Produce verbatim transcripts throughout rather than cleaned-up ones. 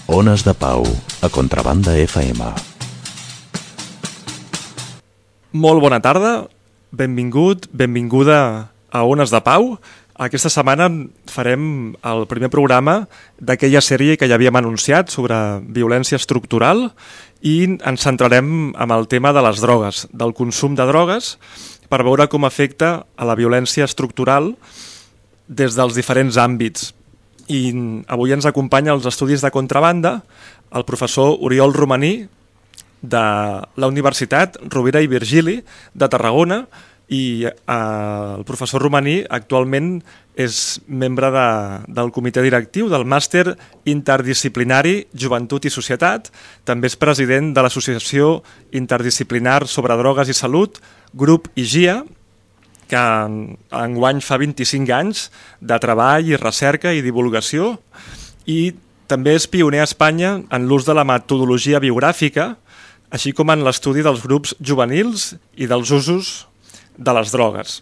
Ones de Pau, a Contrabanda F M. Molt bona tarda, benvingut, benvinguda a Ones de Pau. Aquesta setmana farem el primer programa d'aquella sèrie que ja havíem anunciat sobre violència estructural i ens centrarem en el tema de les drogues, del consum de drogues, per veure com afecta a la violència estructural des dels diferents àmbits. I avui ens acompanya als estudis de Contrabanda el professor Oriol Romaní de la Universitat Rovira i Virgili de Tarragona, i eh, el professor Romaní actualment és membre de, del comitè directiu del Màster Interdisciplinari Joventut i Societat. També és president de l'Associació Interdisciplinar sobre Drogues i Salut, Grup I G I A, que enguany fa vint-i-cinc anys de treball i recerca i divulgació, i també és pioner a Espanya en l'ús de la metodologia biogràfica, així com en l'estudi dels grups juvenils i dels usos de les drogues.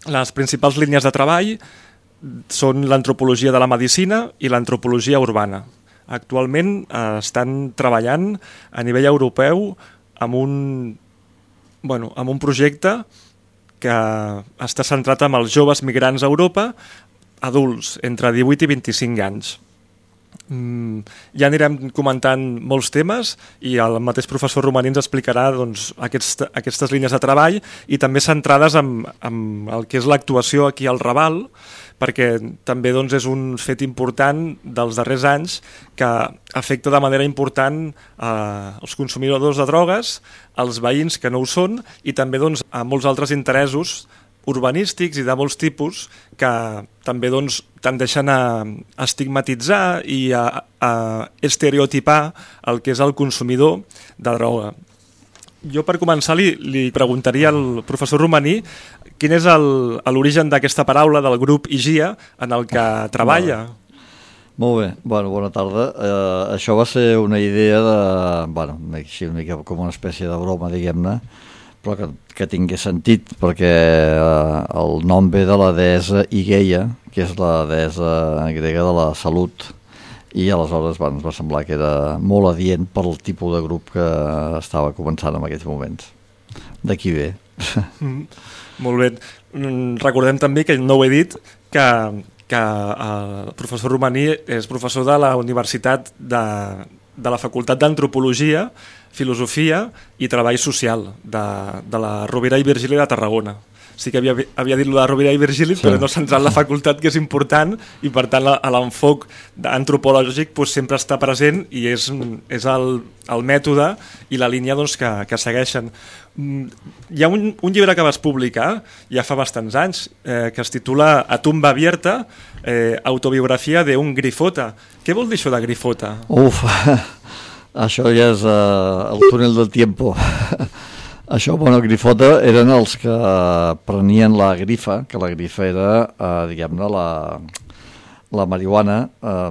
Les principals línies de treball són l'antropologia de la medicina i l'antropologia urbana. Actualment eh, estan treballant a nivell europeu amb un, bueno, amb un projecte que està centrat en els joves migrants a Europa, adults, entre divuit i vint-i-cinc anys. Mm, ja anirem comentant molts temes i el mateix professor Romaní ens explicarà doncs, aquest, aquestes línies de treball i també centrades en, en el que és l'actuació aquí al Raval, perquè també doncs, és un fet important dels darrers anys que afecta de manera important eh, els consumidors de drogues, els veïns que no ho són i també doncs, a molts altres interessos urbanístics i de molts tipus que també doncs, tendeixen a estigmatitzar i a, a estereotipar el que és el consumidor de droga. Jo per començar li, li preguntaria al professor Romaní quin és l'origen d'aquesta paraula del grup I G I A en el que treballa. Molt bé, bueno, bona tarda. Eh, això va ser una idea de, bueno, així una mica com una espècie de broma, diguem-ne, però que, que tingués sentit, perquè eh, el nom ve de la deessa Igeia, que és la deessa grega de la salut, i aleshores bueno, ens va semblar que era molt adient pel tipus de grup que estava començant en aquells moments. D'aquí ve. Mm, molt bé. Recordem també, que no ho he dit, que, que el professor Romaní és professor de la Universitat de, de la Facultat d'Antropologia, Filosofia i Treball Social de, de la Rovira i Virgili de Tarragona. Sí que havia, havia dit la Rovira i Virgili, sí, però no centrat la facultat, que és important, i per tant l'enfoc antropològic doncs, sempre està present i és, és el, el mètode i la línia doncs, que, que segueixen. Hi ha un, un llibre que vas publicar ja fa bastants anys eh, que es titula A tumba abierta, eh, autobiografia d'un grifota. Què vol dir això de grifota? Uf, això ja és uh, el túnel del tiempo. Això, bueno, grifota eren els que prenien la grifa, que la grifa era, eh, diguem-ne, la, la marihuana eh,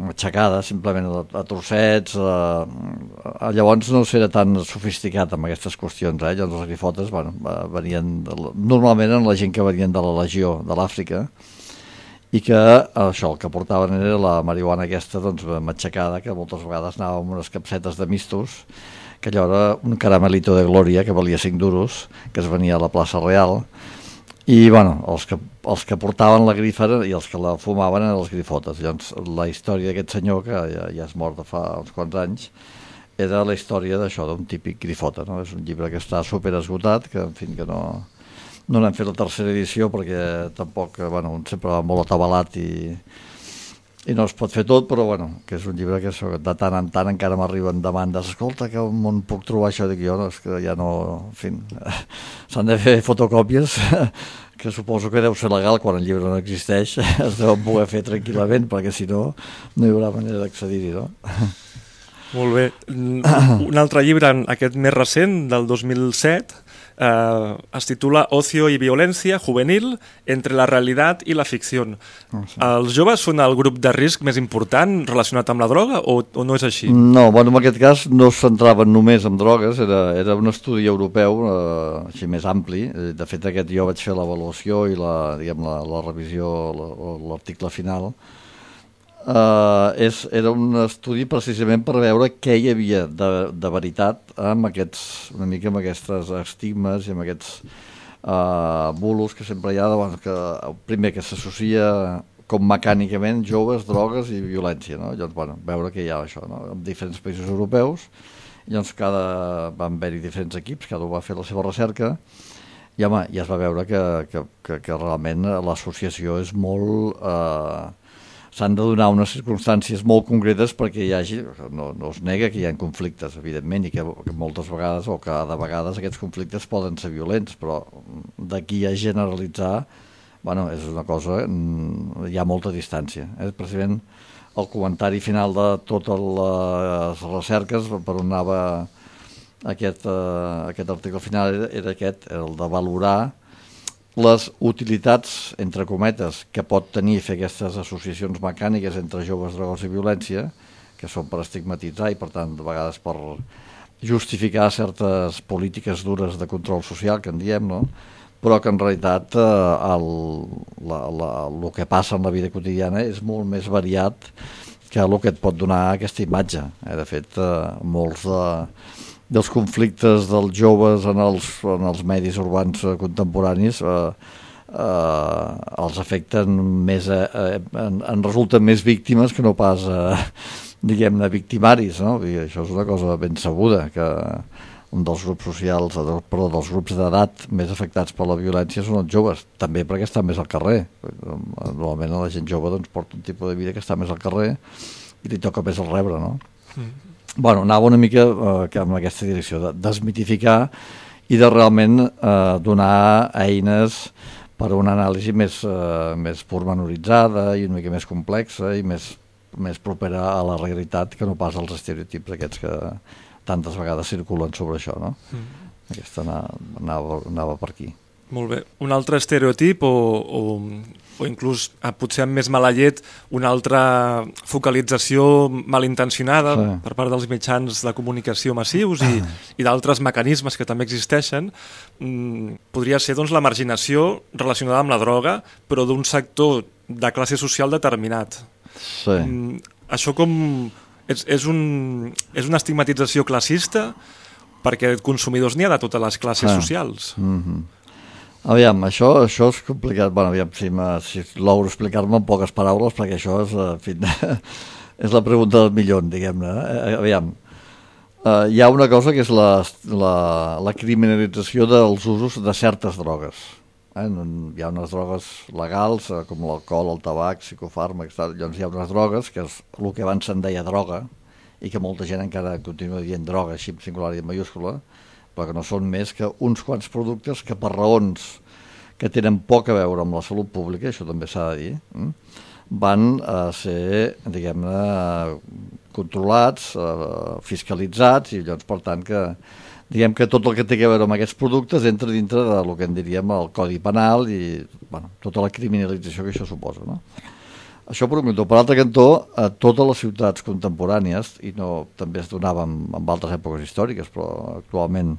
matxacada, simplement a, a trossets. Eh, llavors no era tan sofisticat amb aquestes qüestions, eh? Llavors les grifotes, bueno, venien, de, normalment eren la gent que venien de la legió de l'Àfrica, i que això, el que portaven era la marihuana aquesta, doncs, matxacada, que moltes vegades anava amb unes capsetes de mistos, que allò era un caramelito de glòria que valia cinc duros, que es venia a la plaça Real, i bueno, els que, els que portaven la grifa i els que la fumaven eren els grifotes. Llavors la història d'aquest senyor, que ja, ja és mort de fa uns quants anys, era la història d'això, d'un típic grifota, no? És un llibre que està super esgotat, que en fi, que no, no n'hem fet la tercera edició perquè tampoc, bueno, sempre va molt atabalat i i no es pot fer tot, però bueno, que és un llibre que de tant en tant encara m'arriben demandes. Escolta, que on puc trobar això? Dic jo, no, és que ja no... En fi, s'han de fer fotocòpies, que suposo que deu ser legal quan el llibre no existeix. Es deuen poder fer tranquil·lament, perquè si no, no hi haurà manera d'accedir-hi, no? Molt bé. Un altre llibre, aquest més recent, del dos mil set, eh, es titula Ocio y violencia juvenil entre la realitat i la ficció. Oh, sí. Els joves són el grup de risc més important relacionat amb la droga o, o no és així? No, bueno, en aquest cas no es centraven només en drogues, era, era un estudi europeu eh, així més ampli. De fet, aquest jo vaig fer l'avaluació i la, diguem, la, la revisió, l'article final. uh, és, era un estudi precisament per veure què hi havia de, de veritat amb aquests, una mica amb aquests estigmes i amb aquests uh, bulos que sempre hi ha, doncs, que primer que s'associa com mecànicament joves, drogues i violència, no? Llavors, bueno, veure que hi ha això, no? En diferents països europeus. Llavors, cada, van haver-hi diferents equips, cada un va fer la seva recerca, i home, ja es va veure que, que, que, que realment l'associació és molt... Eh, s'han de donar unes circumstàncies molt concretes perquè hi hagi... No, no es nega que hi ha conflictes, evidentment, i que, que moltes vegades, o que de vegades aquests conflictes poden ser violents, però d'aquí a generalitzar, bueno, és una cosa... Hi ha molta distància. Eh? Precisament, el comentari final de totes les recerques per on anava aquest, uh, aquest article final era, era aquest, el de valorar les utilitats, entre cometes, que pot tenir fer aquestes associacions mecàniques entre joves, drogues i violència, que són per estigmatitzar i, per tant, de vegades per justificar certes polítiques dures de control social, que en diem, no? Però que en realitat eh, el, la, la, el que passa en la vida quotidiana és molt més variat que el que et pot donar aquesta imatge. Eh? De fet, eh, molts de, dels conflictes dels joves en els, en els medis urbans eh, contemporanis eh, eh, els afecten més, eh, en, en resulten més víctimes que no pas, eh, diguem-ne, victimaris, no? I això és una cosa ben sabuda, que un dels grups socials, perdó, dels grups d'edat més afectats per la violència són els joves, també perquè estan més al carrer. Normalment la gent jove doncs, porta un tipus de vida que està més al carrer i li toca més el rebre, no? Mm. Bueno, anava una mica eh, amb aquesta direcció, de desmitificar i de realment eh, donar eines per a una anàlisi més, eh, més pormenoritzada i una mica més complexa i més, més propera a la realitat que no pas als estereotips aquests que tantes vegades circulen sobre això, no? Mm. Aquesta anava, anava, anava per aquí. Molt bé. Un altre estereotip o, o, o inclús, eh, potser amb més mala llet, una altra focalització malintencionada sí. per part dels mitjans de comunicació massius i, i d'altres mecanismes que també existeixen, mm, podria ser doncs, la marginació relacionada amb la droga, però d'un sector de classe social determinat. Sí. Mm, això com... És, és, un, és una estigmatització classista perquè consumidors n'hi ha de totes les classes ah. socials. Mm-hmm. Aviam, això, això és complicat. Bueno, aviam, si, si logro explicar-me en poques paraules, perquè això és, en fi, és la pregunta del milió, diguem-ne. Aviam, uh, hi ha una cosa que és la, la, la criminalització dels usos de certes drogues. Eh? Hi ha unes drogues legals, eh, com l'alcohol, el tabac, psicofàrmacs, tal. Llavors hi ha unes drogues, que és el que abans se'n deia droga, i que molta gent encara continua dient droga, així en singular i en majúscula, però que no són més que uns quants productes que per raons que tenen poc a veure amb la salut pública, això també s'ha de dir, eh? van a ser, diguem-ne, controlats, eh, fiscalitzats, i llavors, per tant, que diguem que tot el que té a veure amb aquests productes entra dintre del que en diríem el Codi Penal i bueno, tota la criminalització que això suposa, no? Això per un cantó. Per l'altre cantó, a totes les ciutats contemporànies, i no també es donava en, en altres èpoques històriques, però actualment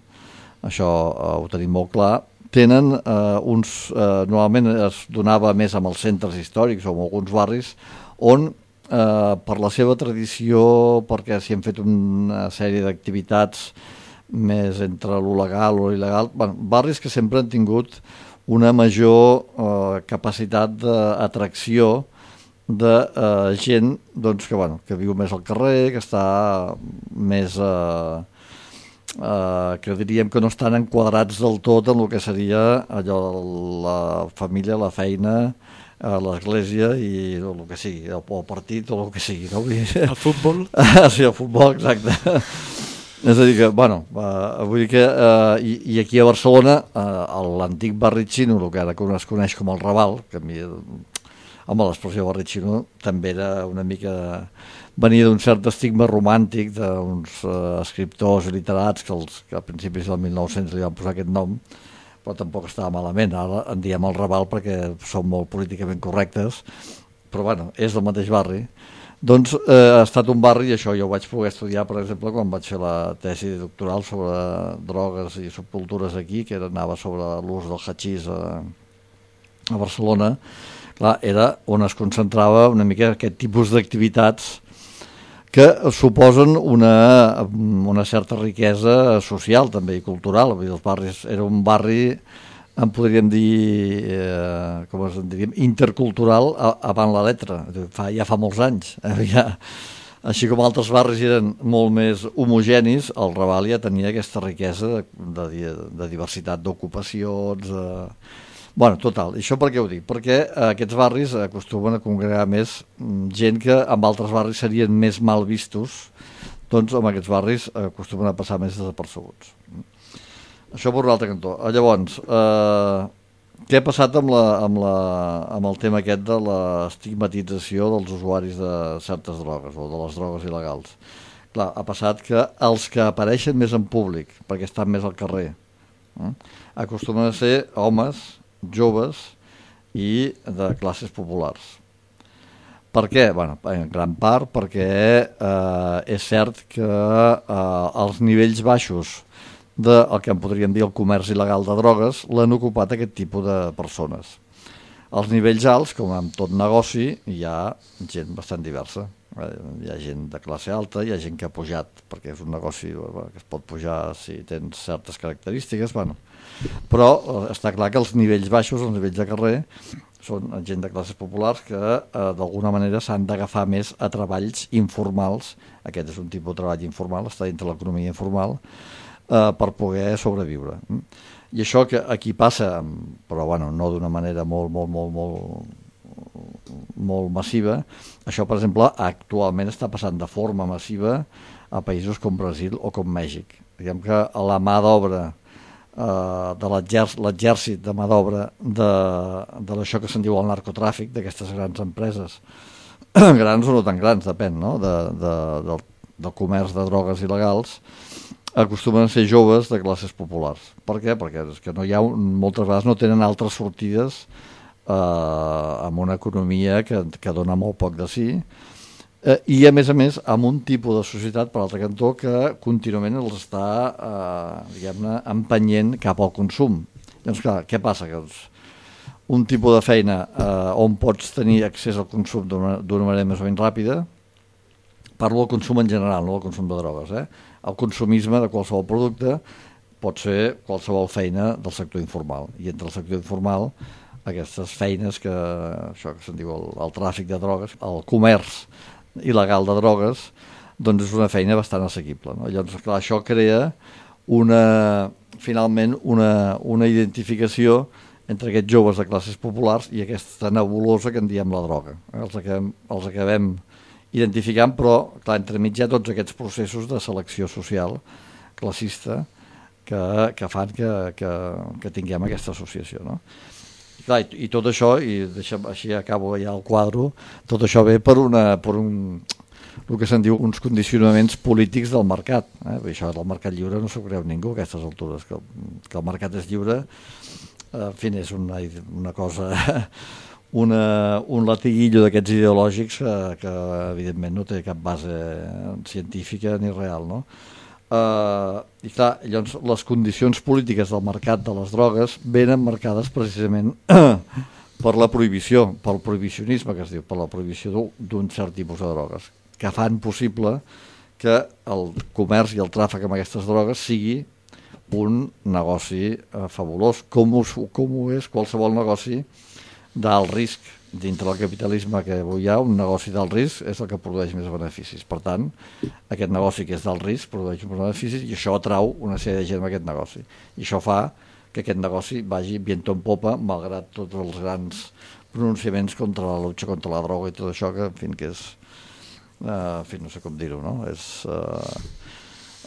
això eh, ho tenim molt clar, tenen eh, uns... Eh, normalment es donava més amb els centres històrics o en alguns barris on eh, per la seva tradició, perquè s'hi han fet una sèrie d'activitats més entre lo legal o lo il·legal, bueno, barris que sempre han tingut una major eh, capacitat d'atracció de eh, gent doncs, que, bueno, que viu més al carrer, que està més... Eh, eh, que diríem que no estan enquadrats del tot en el que seria allò, la família, la feina, eh, l'església i el que sigui, el, el partit o el que sigui. No? El futbol? Sí, el futbol, exacte. És a dir que, bueno, uh, vull dir que, uh, i, i aquí a Barcelona, uh, l'antic barri xino, el que ara es coneix com el Raval, que a mi, home, l'expressió barri xino també era una mica, venia d'un cert estigma romàntic d'uns uh, escriptors i literats que, els, que a principis del mil nou-cents li van posar aquest nom, però tampoc estava malament. Ara en diem el Raval perquè són molt políticament correctes, però bueno, és el mateix barri. Doncs eh, ha estat un barri, i això jo ho vaig poder estudiar, per exemple, quan vaig fer la tesi doctoral sobre drogues i subcultures aquí, que anava sobre l'ús del hachís a, a Barcelona, clar, era on es concentrava una mica aquest tipus d'activitats que suposen una, una certa riquesa social també i cultural. Els barris, era un barri, en podríem dir, eh, com es diríem, intercultural avant la letra, fa, ja fa molts anys. Eh, ja, així com altres barris eren molt més homogenis, el Raval ja tenia aquesta riquesa de, de, de diversitat d'ocupacions. Eh, Bueno, total, això per què ho dic? Perquè aquests barris acostumen a congregar més gent que en altres barris serien més mal vistos, doncs en aquests barris acostumen a passar més desapercebuts. Això per un altre cantó. Llavors, eh, què ha passat amb, la, amb, la, amb el tema aquest de l'estigmatització dels usuaris de certes drogues o de les drogues il·legals? Clar, ha passat que els que apareixen més en públic, perquè estan més al carrer, eh, acostumen a ser homes, joves i de classes populars. Per què? Bueno, en gran part perquè eh, és cert que eh, els nivells baixos del que en podríem dir el comerç il·legal de drogues l'han ocupat aquest tipus de persones. Als nivells alts, com en tot negoci, hi ha gent bastant diversa. Hi ha gent de classe alta, hi ha gent que ha pujat, perquè és un negoci que es pot pujar si tens certes característiques, bueno. Però està clar que els nivells baixos, els nivells de carrer, són gent de classes populars que eh, d'alguna manera s'han d'agafar més a treballs informals. Aquest és un tipus de treball informal, està dintre l'economia informal, eh, per poder sobreviure. I això que aquí passa, però bueno, no d'una manera molt, molt, molt, molt, molt massiva, això, per exemple, actualment està passant de forma massiva a països com Brasil o com Mèxic. Diguem que la mà d'obra Uh, de l'exèrcit de mà d'obra de, de això que se'n diu el narcotràfic, d'aquestes grans empreses, grans o no tan grans, depèn, no? de, de, del, del comerç de drogues il·legals, acostumen a ser joves de classes populars. Per què? Perquè és que no hi ha, moltes vegades no tenen altres sortides uh, amb una economia que, que dona molt poc de si, Eh, i a més a més amb un tipus de societat per l'altre cantó que contínuament els està eh, diguem-ne empenyent cap al consum. Llavors clar, què passa? Que doncs, un tipus de feina eh, on pots tenir accés al consum d'una manera més o menys ràpida, parlo del consum en general, no del consum de drogues, eh? El consumisme de qualsevol producte pot ser qualsevol feina del sector informal, i entre el sector informal aquestes feines que, això que se'n diu el, el tràfic de drogues, el comerç il·legal de drogues, doncs és una feina bastant assequible, no? Llavors, clar, això crea una, finalment una, una identificació entre aquests joves de classes populars i aquesta nebulosa que en diem la droga. Els acabem, els acabem identificant, però clar, entremig hi ha tots aquests processos de selecció social classista que, que fan que, que, que tinguem aquesta associació, no? Clar, i, i tot això, i deixa'm, així acabo ja el quadre, tot això ve per, una, per un, el que se'n diu uns condicionaments polítics del mercat. Eh? Això del mercat lliure no s'ho creu ningú a aquestes altures, que, que el mercat és lliure, en fi, és una, una cosa, una, un latiguillo d'aquests ideològics que, que evidentment no té cap base científica ni real, no? Uh, i clar, llavors les condicions polítiques del mercat de les drogues venen marcades precisament per la prohibició, pel prohibicionisme que es diu, per la prohibició d'un cert tipus de drogues, que fan possible que el comerç i el tràfic amb aquestes drogues sigui un negoci uh, fabulós, com ho, com ho és qualsevol negoci d'alt risc. Dintre del capitalisme que avui hi ha, un negoci d'alt risc és el que produeix més beneficis. Per tant, aquest negoci que és d'alt risc produeix uns beneficis i això atrau una sèrie de gent a aquest negoci. I això fa que aquest negoci vagi viento en popa, malgrat tots els grans pronunciaments contra la lucha contra la droga i tot això, que en fi, que és... Uh, en fi, no sé com dir-ho, no? És... Uh,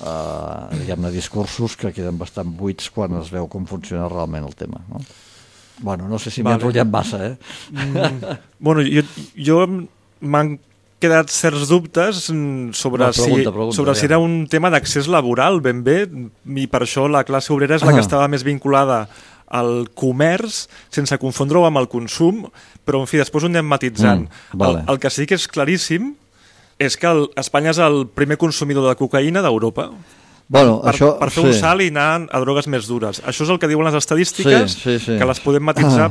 uh, diguem-ne, discursos que queden bastant buits quan es veu com funciona realment el tema, no? Bueno, no sé si m'he vale. enrotllat massa, eh? Mm, bueno, jo, jo m'han quedat certs dubtes sobre, no, pregunta, si, pregunta, sobre ja. si era un tema d'accés laboral, ben bé, i per això la classe obrera és la que estava més vinculada al comerç, sense confondre-ho amb el consum, però, en fi, després ho anem matitzant. Mm, vale. el, el que sí que és claríssim és que el, Espanya és el primer consumidor de cocaïna d'Europa. Bueno, per, això, per fer sí. un salt i anar a drogues més dures. Això és el que diuen les estadístiques, sí, sí, sí. que les podem matisar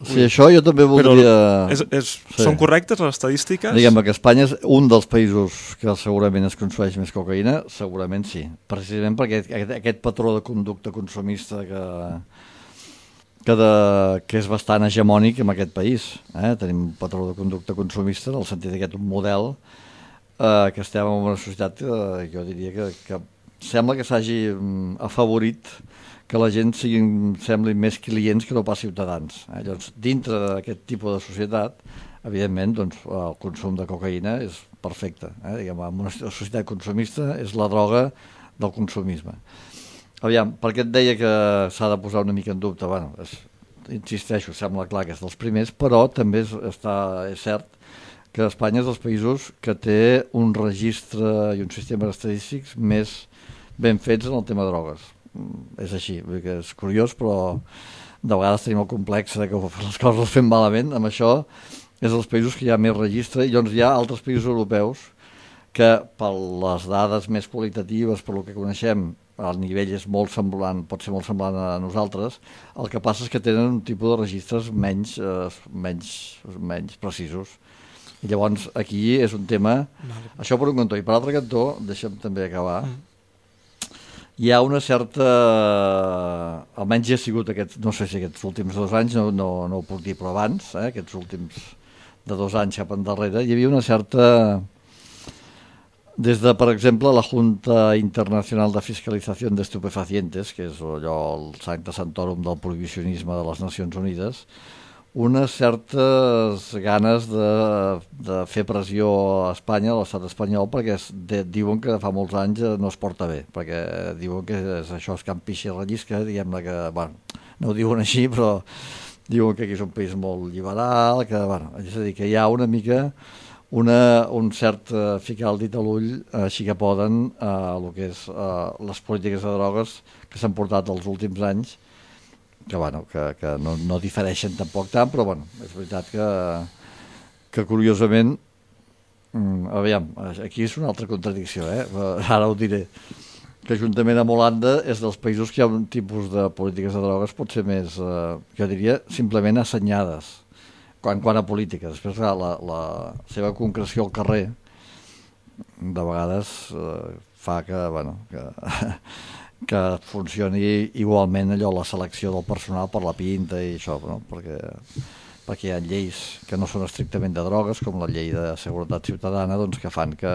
Sí, això jo també voldria... És, és, sí. Són correctes les estadístiques? Diguem que Espanya és un dels països que segurament es consumeix més cocaïna, segurament sí. Precisament perquè aquest, aquest patró de conducta consumista que, que, de, que és bastant hegemònic en aquest país. Eh? Tenim un patró de conducta consumista en el sentit d'aquest model eh, que estem en una societat que jo diria que, que sembla que s'hagi afavorit que la gent siguin, semblin més clients que no pas ciutadans. Eh? Llavors, dintre d'aquest tipus de societat, evidentment, doncs, el consum de cocaïna és perfecte. Eh? Diguem, en una societat consumista és la droga del consumisme. Aviam, per què et deia que s'ha de posar una mica en dubte? Bueno, és, insisteixo, sembla clar que és dels primers, però també és, està, és cert que Espanya és dels països que té un registre i un sistema estadístics més ben fets en el tema de drogues. És així, vull dir que és curiós, però de vegades tenim el complex de que les coses les fem malament. Amb això és dels països que hi ha més registre, i llavors hi ha altres països europeus que per les dades més qualitatives, per el que coneixem, el nivell és molt semblant, pot ser molt semblant a nosaltres. El que passa és que tenen un tipus de registres menys, eh, menys, menys precisos. I llavors aquí és un tema... Vale. Això per un cantó. I per l'altre cantó, deixa'm també acabar... Mm. Hi ha una certa, almenys ja ha sigut aquests, no sé si aquests últims dos anys, no, no, no ho puc dir, però abans, eh, aquests últims de dos anys cap endarrere, hi havia una certa, des de, per exemple, la Junta Internacional de Fiscalització de Estupefacientes, que és allò el Sancta Santorum del prohibicionisme de les Nacions Unides, unes certes ganes de, de fer pressió a Espanya, a l'estat espanyol, perquè es, de, diuen que fa molts anys no es porta bé, perquè diuen que és, això és can pixa i rellisca, diguem-ne que, bueno, no ho diuen així, però diuen que aquí és un país molt liberal, que, bueno, és a dir, que hi ha una mica una, un cert uh, ficar el dit a l'ull, uh, així que poden, a uh, el que és uh, les polítiques de drogues que s'han portat els últims anys, que, bueno, que, que no, no difereixen tampoc tant, però bueno, és veritat que, que curiosament, mm, aviam, aquí és una altra contradicció, eh? Ara ho diré, que juntament amb Holanda és dels països que hi ha un tipus de polítiques de drogues pot ser més, eh, jo diria, simplement assenyades, quan, quan a polítiques. Després la, la seva concreció al carrer de vegades eh, fa que, bueno, que... que funcioni igualment allò, la selecció del personal per la pinta i això, no? perquè, perquè hi ha lleis que no són estrictament de drogues, com la llei de seguretat ciutadana, doncs, que fan que,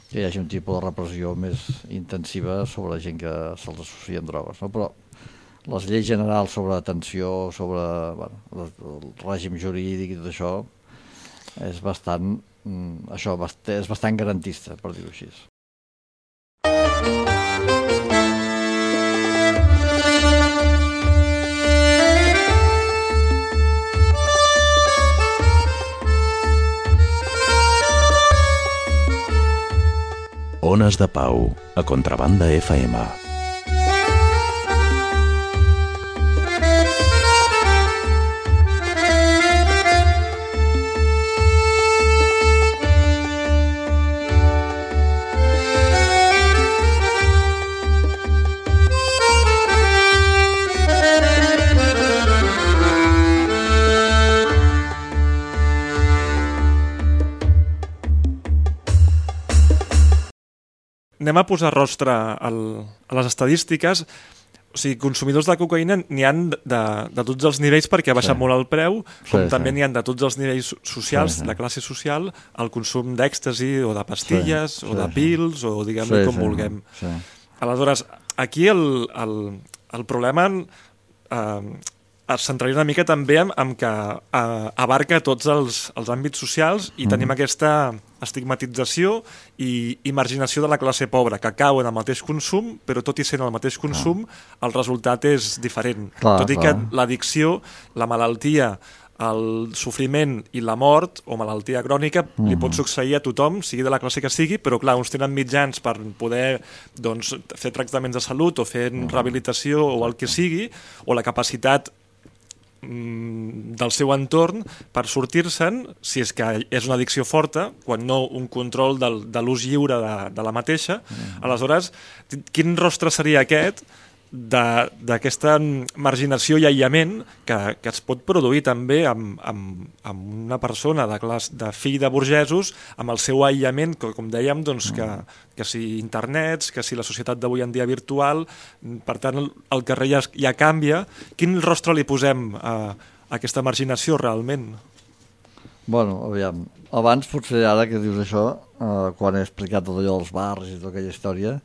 que hi hagi un tipus de repressió més intensiva sobre la gent que se'ls associa amb drogues. No? Però les lleis generals sobre atenció, sobre bueno, el règim jurídic i tot això, és bastant, això, és bastant garantista, per dir-ho així. Ones de Pau, a Contrabanda F M. Anem a posar rostre al, a les estadístiques. O sigui, consumidors de cocaïna n'hi han de, de tots els nivells perquè ha baixat sí. molt el preu, com sí, també sí. n'hi han de tots els nivells socials, sí, sí. de classe social, el consum d'èxtasi o de pastilles sí, o sí, de pils o diguem-ne sí, com sí, vulguem. Sí. Aleshores, aquí el, el, el problema eh, es centraria una mica també en, en que eh, abarca tots els, els àmbits socials i mm. tenim aquesta estigmatització i, i marginació de la classe pobra, que cau en el mateix consum, però tot i sent el mateix consum, ah. el resultat és diferent. Clar, tot i clar. que l'addicció, la malaltia, el sofriment i la mort, o malaltia crònica, mm. li pot succeir a tothom, sigui de la classe que sigui, però clar, uns tenen mitjans per poder doncs, fer tractaments de salut o fer mm. rehabilitació o el que sigui, o la capacitat del seu entorn per sortir-se'n, si és que és una addicció forta, quan no un control del, de l'ús lliure de, de la mateixa. Mm. Aleshores, quin rostre seria aquest d'aquesta marginació i aïllament que, que es pot produir també amb, amb, amb una persona de, clas, de fill de burgesos, amb el seu aïllament, que, com dèiem, doncs, que, que si internets, que si la societat d'avui en dia virtual, per tant el, el carrer ja, ja canvia. Quin rostre li posem a, a aquesta marginació realment? Bueno, aviam, abans potser ara que dius això, eh, quan he explicat tot allò dels barris i tota aquella història,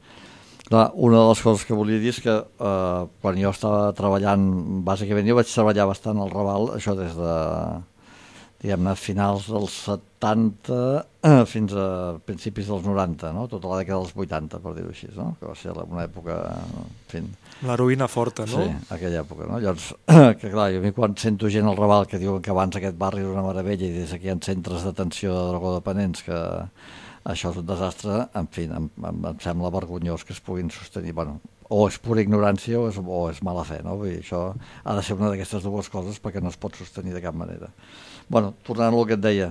clar, una de les coses que volia dir és que eh, quan jo estava treballant, bàsicament jo vaig treballar bastant al Raval, això des de, diguem-ne, finals dels setanta eh, fins a principis dels noranta, no? Tota la dècada dels vuitanta, per dir-ho així, no? Que va ser una època... En fi, l'heroïna forta, no? Sí, aquella època, no? Llavors, que clar, jo a mi quan sento gent al Raval que diuen que abans aquest barri era una meravella i des aquí hi ha centres d'atenció de drogodependents que... això és un desastre, en fi, em, em, em sembla vergonyós que es puguin sostenir, bueno, o és pura ignorància o és, o és mala fe, no? Vull dir, això ha de ser una d'aquestes dues coses perquè no es pot sostenir de cap manera. Bueno, tornant al que et deia,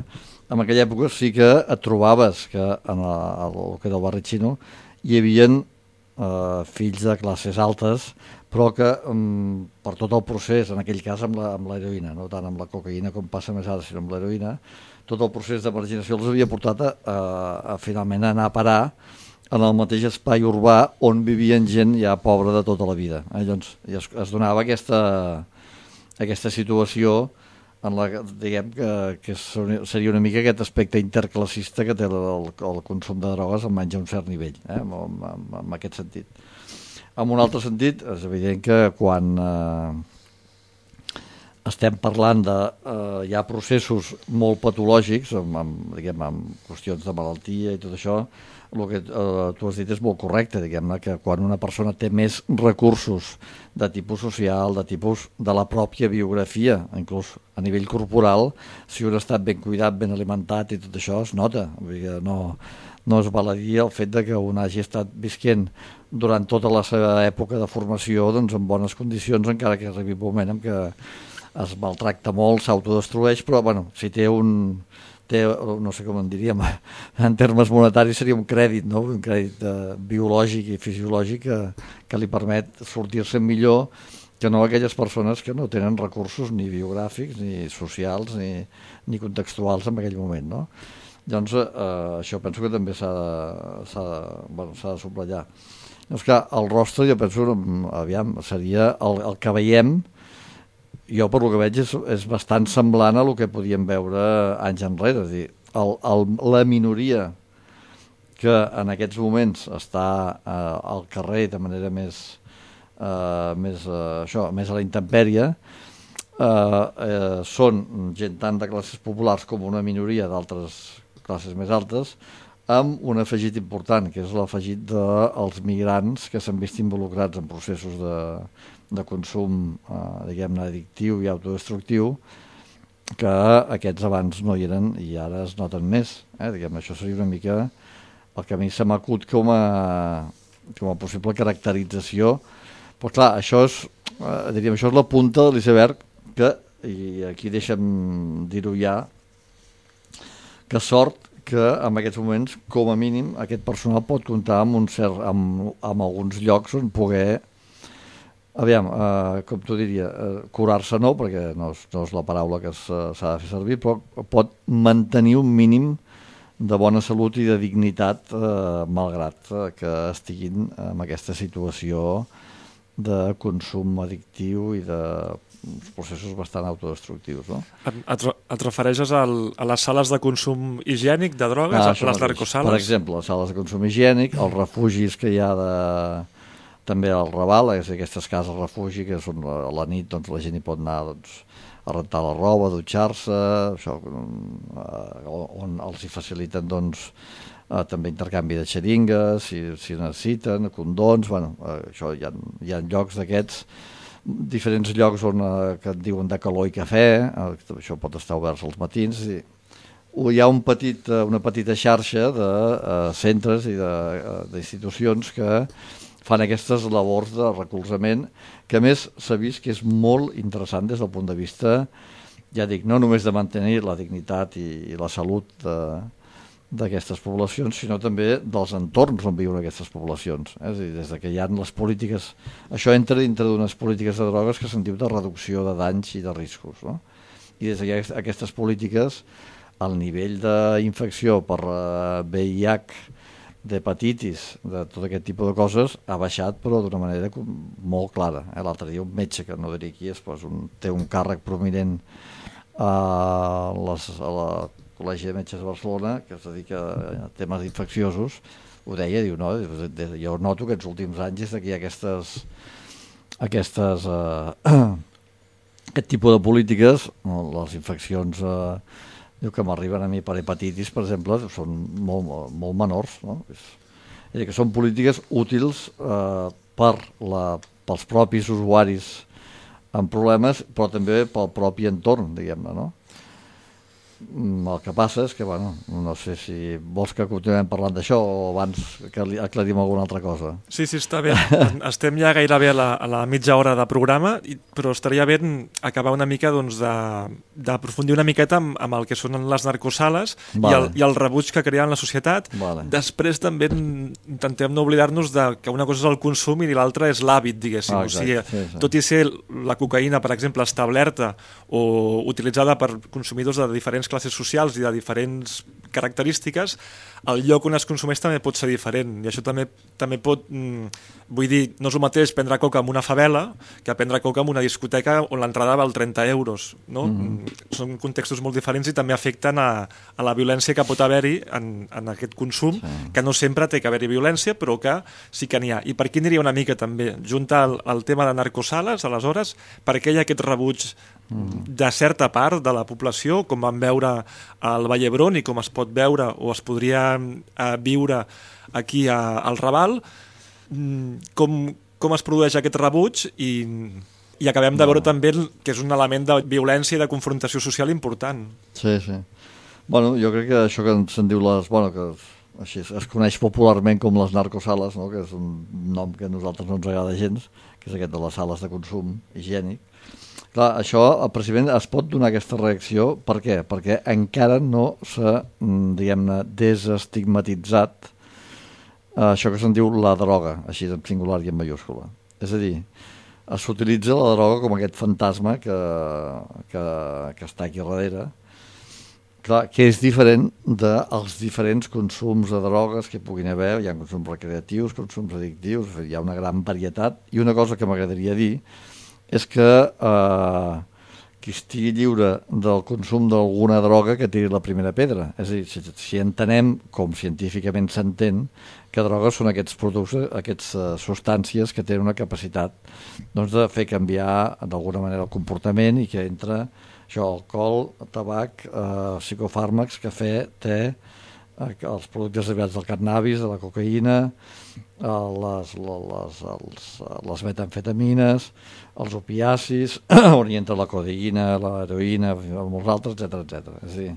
en aquella època sí que et trobaves que en el, el que era el barri xino hi havia eh, fills de classes altes, però que um, per tot el procés, en aquell cas amb l'heroïna, no tant amb la cocaïna com passa més ara, sinó amb l'heroïna, tot el procés de marginació els havia portat a, a, a finalment anar a parar en el mateix espai urbà on vivien gent ja pobra de tota la vida. Eh? Llavors es, es donava aquesta, aquesta situació en la que, diguem, que, que seria una mica aquest aspecte interclassista que té el, el, el consum de drogues almenys a un cert nivell, eh? en, en, en aquest sentit. En un altre sentit, és evident que quan... Eh, estem parlant de... Eh, hi ha processos molt patològics, amb, amb, diguem, amb qüestions de malaltia i tot això, el que eh, tu has dit és molt correcte, diguem-ne, que quan una persona té més recursos de tipus social, de tipus de la pròpia biografia, inclús a nivell corporal, si un ha estat ben cuidat, ben alimentat i tot això es nota. Vull dir que no, no es val a dir el fet de que un hagi estat visquent durant tota la seva època de formació doncs, en bones condicions, encara que arribi un moment en què es maltracta molt, s'autodestrueix, però bueno, si té un, té, no sé com en diríem, en termes monetaris seria un crèdit, no? Un crèdit eh, biològic i fisiològic que, que li permet sortir-se millor que no aquelles persones que no tenen recursos ni biogràfics, ni socials, ni, ni contextuals en aquell moment, no? Llavors, eh, això penso que també s'ha de, s'ha de, bueno, s'ha de subratllar. Llavors, clar, el rostre, jo penso, aviam, seria el, el que veiem. Jo, per lo que veig, és, és bastant semblant a el que podíem veure anys enrere. És a dir, el, el, la minoria que en aquests moments està eh, al carrer de manera més, eh, més, eh, això, més a la intempèrie, eh, eh, són gent tant de classes populars com una minoria d'altres classes més altes, amb un afegit important, que és l'afegit dels migrants que s'han vist involucrats en processos de, de consum, eh, diguem-ne, addictiu i autodestructiu, que aquests abans no hi eren i ara es noten més. Eh? Diguem, això seria una mica el que a mi se m'acut com a, com a possible caracterització. Però clar, això és, eh, diríem, això és la punta de l'iceberg que, i aquí deixa'm dir-ho ja, que sort que en aquests moments, com a mínim, aquest personal pot comptar amb, un cert, amb, amb alguns llocs on poder, aviam, eh, com t'ho diria, eh, curar-se no, perquè no és, no és la paraula que s'ha de fer servir, però pot mantenir un mínim de bona salut i de dignitat, eh, malgrat eh, que estiguin en aquesta situació de consum addictiu i de processos bastant autodestructius, no? Et, et, et refereixes al, a les sales de consum higiènic de drogues, ah, a les narcosales? Per exemple, les sales de consum higiènic, els refugis que hi ha de, també al Raval, és aquestes cases refugi que són a la nit, doncs la gent hi pot anar doncs, a rentar la roba, a dutxar-se, això, eh, on els hi faciliten doncs, eh, també intercanvi de xeringues, si, si necessiten, condons, bueno, eh, això hi ha, hi ha llocs d'aquests, diferents llocs on, eh, que et diuen de calor i cafè, eh, això pot estar obert als matins, i hi ha un petit, una petita xarxa de eh, centres i d'institucions que fan aquestes labors de recolzament, que a més s'ha vist que és molt interessant des del punt de vista, ja dic, no només de mantenir la dignitat i, i la salut de, d'aquestes poblacions, sinó també dels entorns on viuen aquestes poblacions. Eh? És a dir, des que hi ha les polítiques... Això entra dintre d'unes polítiques de drogues que se'n diu de reducció de danys i de riscos. No? I des d'aquestes polítiques, el nivell d'infecció per V I H, d'hepatitis, de tot aquest tipus de coses, ha baixat, però d'una manera molt clara. Eh? L'altre dia un metge, que no diré qui és, doncs un, té un càrrec prominent a, les, a la Col·legi de Metges de Barcelona, que es dedica a temes infecciosos, ho deia, diu, no, jo noto que els últims anys és que hi ha aquestes, aquestes eh, aquest tipus de polítiques, les infeccions eh, diu que m'arriben a mi per hepatitis, per exemple, són molt, molt menors, no? És, és dir, que són polítiques útils eh, per la, pels propis usuaris amb problemes, però també pel propi entorn, diguem-ne, no? El que passa és que, bueno, no sé si vols que continuem parlant d'això o abans que aclarim alguna altra cosa. Sí, sí, està bé. Estem ja gairebé a la, a la mitja hora de programa, però estaria bé acabar una mica doncs, d'aprofundir una miqueta amb, amb el que són les narcosales vale. i, el, i el rebuig que crea en la societat. Vale. Després també intentem no oblidar-nos de que una cosa és el consum i l'altra és l'hàbit, diguéssim. Ah, o sigui, sí, sí. Tot i ser la cocaïna, per exemple, establerta o utilitzada per consumidors de diferents classes socials i de diferents característiques, el lloc on es consumeix també pot ser diferent i això també, també pot, mm, vull dir, no és el mateix prendre coca en una favela que prendre coca en una discoteca on l'entrada val trenta euros, no? Mm-hmm. Són contextos molt diferents i també afecten a, a la violència que pot haver-hi en, en aquest consum, sí. Que no sempre té que haver-hi violència, però que sí que n'hi ha. I per aquí aniria una mica també, junta el, el tema de narcosales, aleshores, per què hi ha aquest rebuig de certa part de la població, com vam veure al Vall d'Hebron i com es pot veure o es podria eh, viure aquí a, al Raval, com, com es produeix aquest rebuig i, i acabem de veure no. també que és un element de violència i de confrontació social important. Sí, sí. Bueno, jo crec que això que se'n diu les... Bueno, que així es, es coneix popularment com les narcosales, no? Que és un nom que a nosaltres no ens agrada gens, que és aquest de les sales de consum higiènic. Clar, això, precisament, es pot donar aquesta reacció. Per què? Perquè encara no s'ha, diguem-ne, desestigmatitzat eh, això que se'n diu la droga, així en singular i en mayúscula. És a dir, s'utilitza la droga com aquest fantasma que, que, que està aquí darrere, clar, que és diferent dels diferents consums de drogues que puguin haver. Hi ha consums recreatius, consums addictius, hi ha una gran varietat. I una cosa que m'agradaria dir és que eh, qui estigui lliure del consum d'alguna droga que tiri la primera pedra. És a dir, si, si entenem, com científicament s'entén, que drogues són aquests productes, aquestes uh, substàncies que tenen una capacitat doncs, de fer canviar d'alguna manera el comportament i que entra això, alcohol, tabac, eh, psicofàrmacs, cafè, te, eh, els productes derivats del cannabis, de la cocaïna, eh, les, les, els, les metamfetamines, els opiacis, on hi entra la codeïna, l'heroïna, molts altres, etcètera, etcètera. És a dir,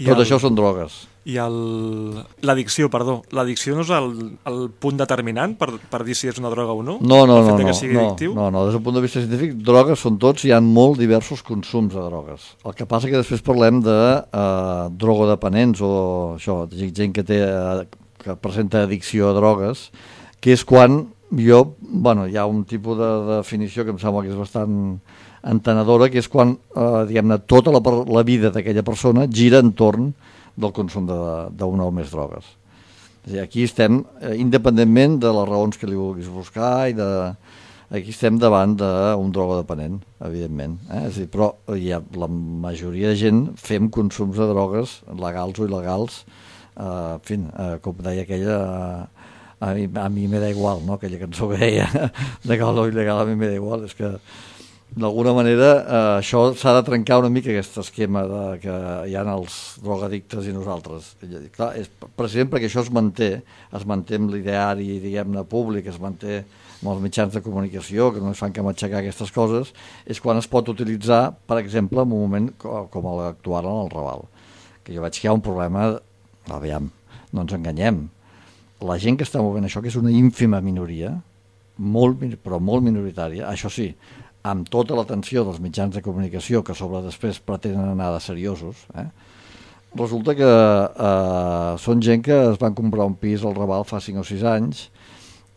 I tot el, això són drogues. I l'addicció, perdó, l'addicció no és el, el punt determinant per, per dir si és una droga o no? No, no, el fet no, de que no, sigui no, addictiu? no, no, des del punt de vista científic, drogues són tots, hi ha molt diversos consums de drogues. El que passa que després parlem de eh, drogodependents o això, gent que té eh, que presenta addicció a drogues, que és quan jo, bueno, hi ha un tipus de definició que em sembla que és bastant entenedora, que és quan, eh, diguem-ne, tota la, la vida d'aquella persona gira entorn del consum d'una o més drogues. És a dir, aquí estem, eh, independentment de les raons que li vulguis buscar, i de, aquí estem davant d'un drogodependent, evidentment. Eh? És a dir, però hi ha, la majoria de gent fem consums de drogues, legals o il·legals, eh, en fi, eh, com deia aquella... Eh, A mi, a mi me da igual, no? Aquella cançó que deia legal o il·legal, a mi me da igual. És que d'alguna manera eh, això s'ha de trencar una mica, aquest esquema de, que hi ha els drogadictes i nosaltres. I, clar, és precisament perquè això es manté, es manté amb l'ideari, diguem-ne, públic, es manté amb els mitjans de comunicació, que no es fan que matxacar aquestes coses, és quan es pot utilitzar, per exemple, en un moment com, com l'actual en el Raval. Que jo veig que hi ha un problema, aviam, no ens enganyem, la gent que està movent això, que és una ínfima minoria, molt, però molt minoritària, això sí, amb tota l'atenció dels mitjans de comunicació, que sobre després pretenen anar de seriosos, eh? resulta que eh, són gent que es van comprar un pis al Raval fa cinc o sis anys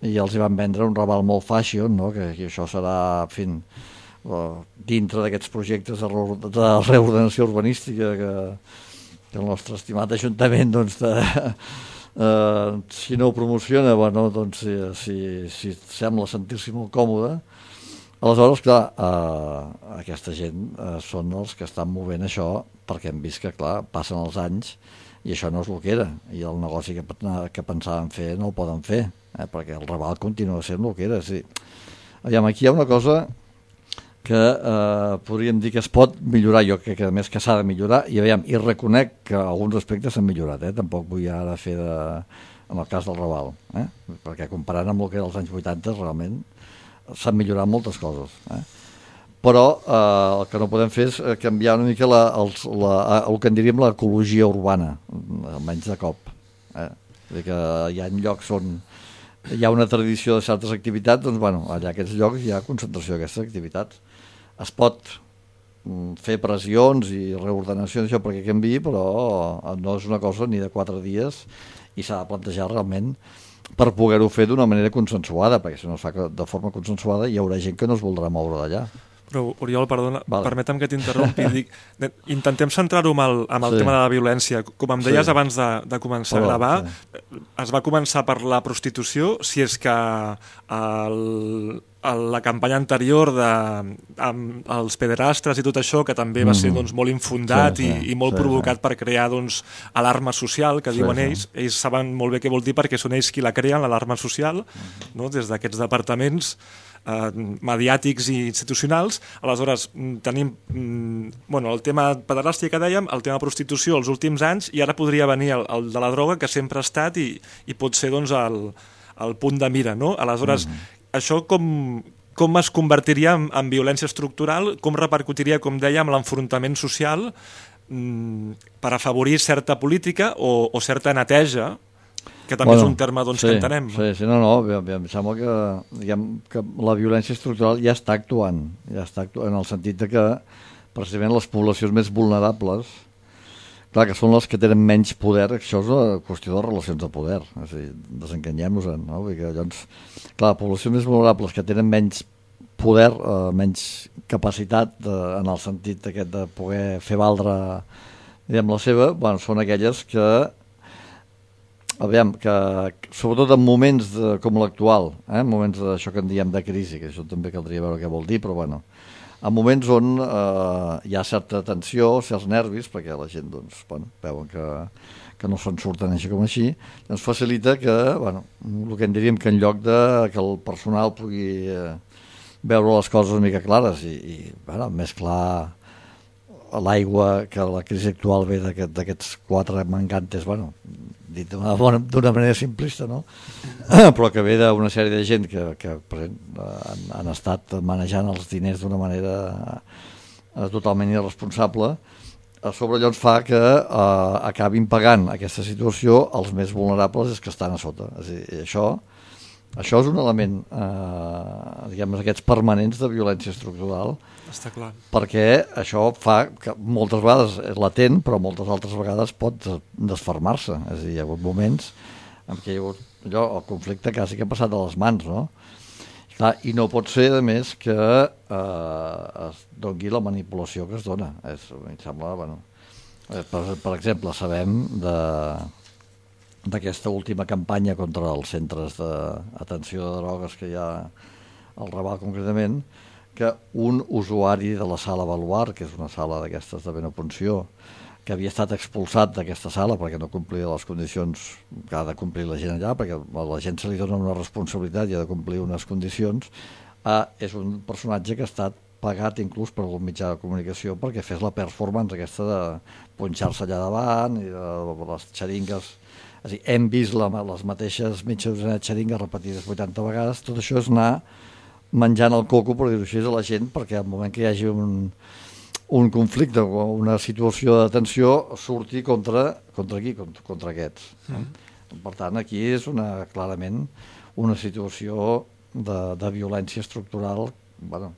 i els hi van vendre un Raval molt fashion, no? que, que això serà, en fi, dintre d'aquests projectes de, re de reordenació urbanística que, que el nostre estimat Ajuntament, doncs, de, eh, si no ho promociona, bueno, doncs, si, si, si sembla sentir-s'hi molt còmode. Aleshores, clar, eh, aquesta gent eh, són els que estan movent això perquè hem vist que, clar, passen els anys i això no és el que era, i el negoci que, que pensaven fer no el poden fer, eh, perquè el Raval continua sent el que era. Sí. Aviam, aquí hi ha una cosa que eh, podríem dir que es pot millorar, jo crec que a més que s'ha de millorar, i aviam, i reconec que alguns aspectes s'han millorat, eh? Tampoc vull ara fer de, en el cas del Raval, eh? Perquè comparant amb el que era els anys vuitanta realment s'han millorat moltes coses, eh? Però eh, el que no podem fer és canviar una mica la, els, la, el que en diríem l'ecologia urbana, almenys de cop, eh? Vull dir que hi ha llocs on hi ha una tradició de certes activitats, doncs bueno, allà aquests llocs hi ha concentració d'aquestes activitats. Es pot fer pressions i reordenacions això perquè canviï, però no és una cosa ni de quatre dies i s'ha de plantejar realment per poder-ho fer d'una manera consensuada, perquè si no es fa de forma consensuada hi haurà gent que no es voldrà moure d'allà. Però, Oriol, perdona, vale. Permetem que t'interrompi. Dic, intentem centrar-ho amb el, amb el sí. tema de la violència. Com em deies sí. abans de, de començar Perdó, a gravar, sí. es va començar per la prostitució, si és que el, el, la campanya anterior de, amb els pederastres i tot això, que també va ser doncs, molt infundat sí, sí, i, i molt sí, provocat sí. per crear doncs, alarma social, que sí, diuen sí. ells. Ells saben molt bé què vol dir perquè són ells qui la creen, l'alarma social, no? Des d'aquests departaments Eh, mediàtics i institucionals. Aleshores tenim mm, bueno, el tema pederàstia que dèiem, el tema prostitució els últims anys, i ara podria venir el, el de la droga, que sempre ha estat i, i pot ser doncs, el, el punt de mira, no? Aleshores, mm-hmm. això com, com es convertiria en, en violència estructural, com repercutiria, com dèiem, l'enfrontament social mm, per afavorir certa política o, o certa neteja, que també bueno, és un terme doncs, sí, que entenem. Sí, sí, no, no, em sembla que, diguem, que la violència estructural ja està actuant, ja està actuant en el sentit de que precisament les poblacions més vulnerables, clar, que són les que tenen menys poder, això és una qüestió de relacions de poder, és a dir, desencanyem-nos-en, no? Vull dir que, doncs, clar, les poblacions més vulnerables que tenen menys poder, eh, menys capacitat de, en el sentit aquest de poder fer valdre, diguem, la seva, bueno, són aquelles que aviam, que sobretot en moments de, com l'actual, eh, en moments d'això que en diem de crisi, que això també caldria veure què vol dir, però bueno, en moments on eh, hi ha certa tensió, certs nervis, perquè la gent doncs, bueno, veuen que, que no se'n surten així com així, doncs facilita que, bueno, el que en diríem que en lloc de que el personal pugui eh, veure les coses una mica clares i, i bueno, més clar l'aigua, que la crisi actual ve d'aquests quatre mangantes, bueno, dit d'una manera simplista, no? Però que ve d'una sèrie de gent que, que per exemple, han, han estat manejant els diners d'una manera eh, totalment irresponsable. A sobre allò ens fa que eh, acabin pagant aquesta situació els més vulnerables, és que estan a sota. És a dir, això, això és un element, eh, diguem, aquests permanents de violència estructural. Està clar. Perquè això fa que moltes vegades és latent, però moltes altres vegades pot desfermar-se. És a dir, hi ha hagut moments en què hi ha hagut allò, el conflicte quasi que ha passat a les mans, no? Clar, i no pot ser, a més, que eh, es doni la manipulació que es dona. És, em sembla, bueno, per, per exemple, sabem de d'aquesta última campanya contra els centres d'atenció de drogues que hi ha al Raval concretament, que un usuari de la sala Baluart, que és una sala d'aquestes de Benopunció, que havia estat expulsat d'aquesta sala perquè no complia les condicions que ha de complir la gent allà, perquè a la gent se li dona una responsabilitat i ha de complir unes condicions, eh, és un personatge que ha estat pagat inclús per algun mitjà de comunicació perquè fes la performance aquesta de punxar-se allà davant i de les xeringues. És a dir, hem vist la, les mateixes mitges xeringues repetides vuitanta vegades. Tot això és anar menjant el coco, per dir-ho així, a la gent, perquè al moment que hi hagi un, un conflicte o una situació de tensió surti contra, contra qui? Contra, contra aquests. Mm. Per tant, aquí és una, clarament una situació de, de violència estructural, bueno,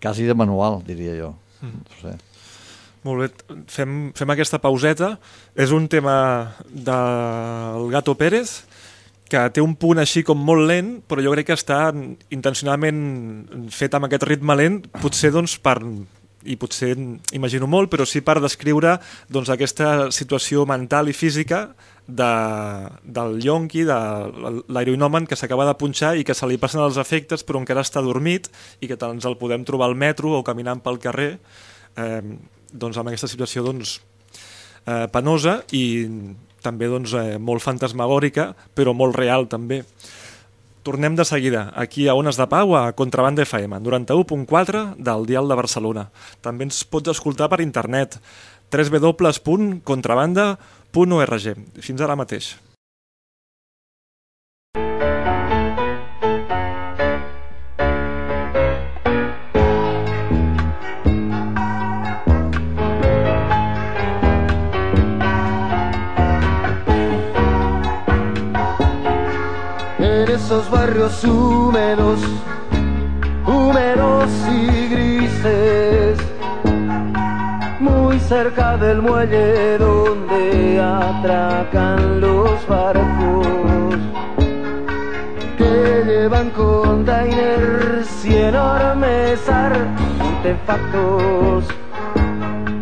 quasi de manual, diria jo. Mm. No sé. Molt bé, fem, fem aquesta pauseta. És un tema del Gato Pérez, que té un punt així com molt lent, però jo crec que està intencionalment fet amb aquest ritme lent, potser doncs per, i potser imagino molt, però sí per descriure doncs, aquesta situació mental i física de, del yonqui, de l'heroïnomen que s'acaba de punxar i que se li passen els efectes però encara està dormit i que ens el podem trobar al metro o caminant pel carrer, eh, doncs amb aquesta situació doncs, eh, penosa i també doncs, eh, molt fantasmagòrica, però molt real també. Tornem de seguida, aquí a Ones de Pau, a Contrabanda F M, noranta-u punt quatre del Dial de Barcelona. També ens pots escoltar per internet, w w w punt contrabanda punt org. Fins ara mateix. Esos barrios húmedos, húmedos y grises, muy cerca del muelle donde atracan los barcos, que llevan containers y enormes artefactos.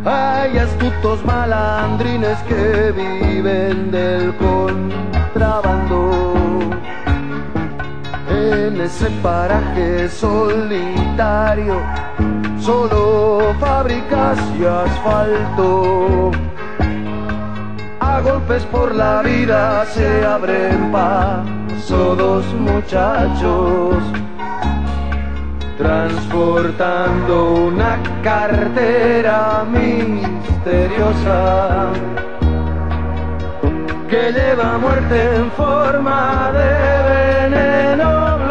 Hay astutos malandrines que viven del contrabando. En ese paraje solitario, solo fábricas y asfalto. A golpes por la vida se abren paso dos muchachos, transportando una cartera misteriosa que lleva muerte en forma de veneno blanco.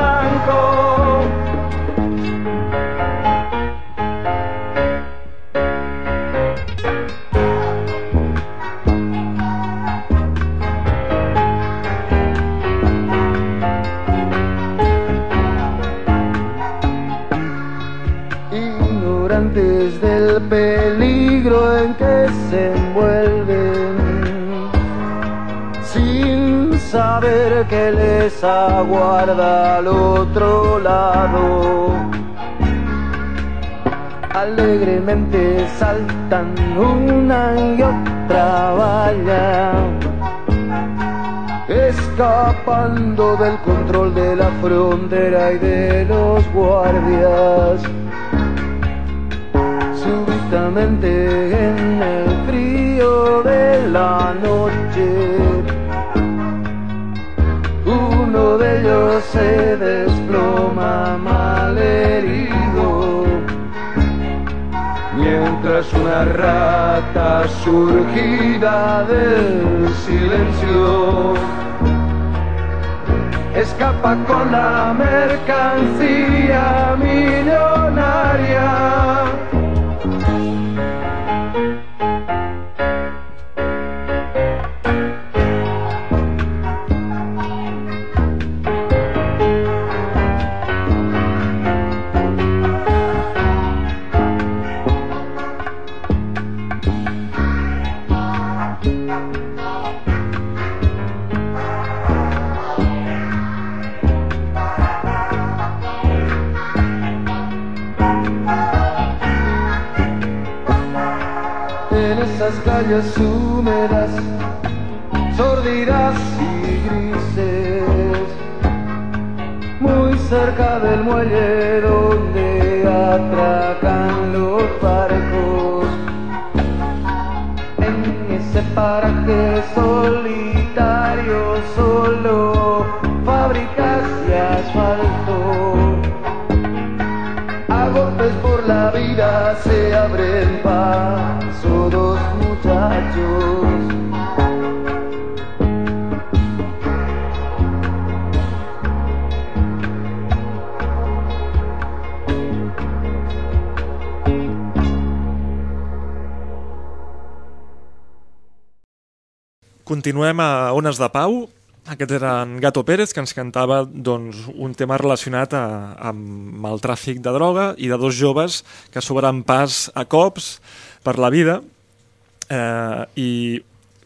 Ignorantes del peligro en que se envuelven, sin saber que les aguarda al otro lado. Alegremente saltan una y otra valla, escapando del control de la frontera y de los guardias. Súbitamente en el frío de la noche, uno de ellos se desploma malherido, mientras una rata surgida del silencio escapa con la mercancía millonaria. Calles húmedas, sórdidas y grises, muy cerca del muelle donde atracan los barcos. En ese paraje solitario, solo fábricas y asfalto. A golpes por la vida se abren paso dos muchachos. Continuem a Ones de Pau. Aquest era en Gato Pérez, que ens cantava doncs, un tema relacionat a, amb el tràfic de droga i de dos joves que s'obren pas a cops per la vida, eh, i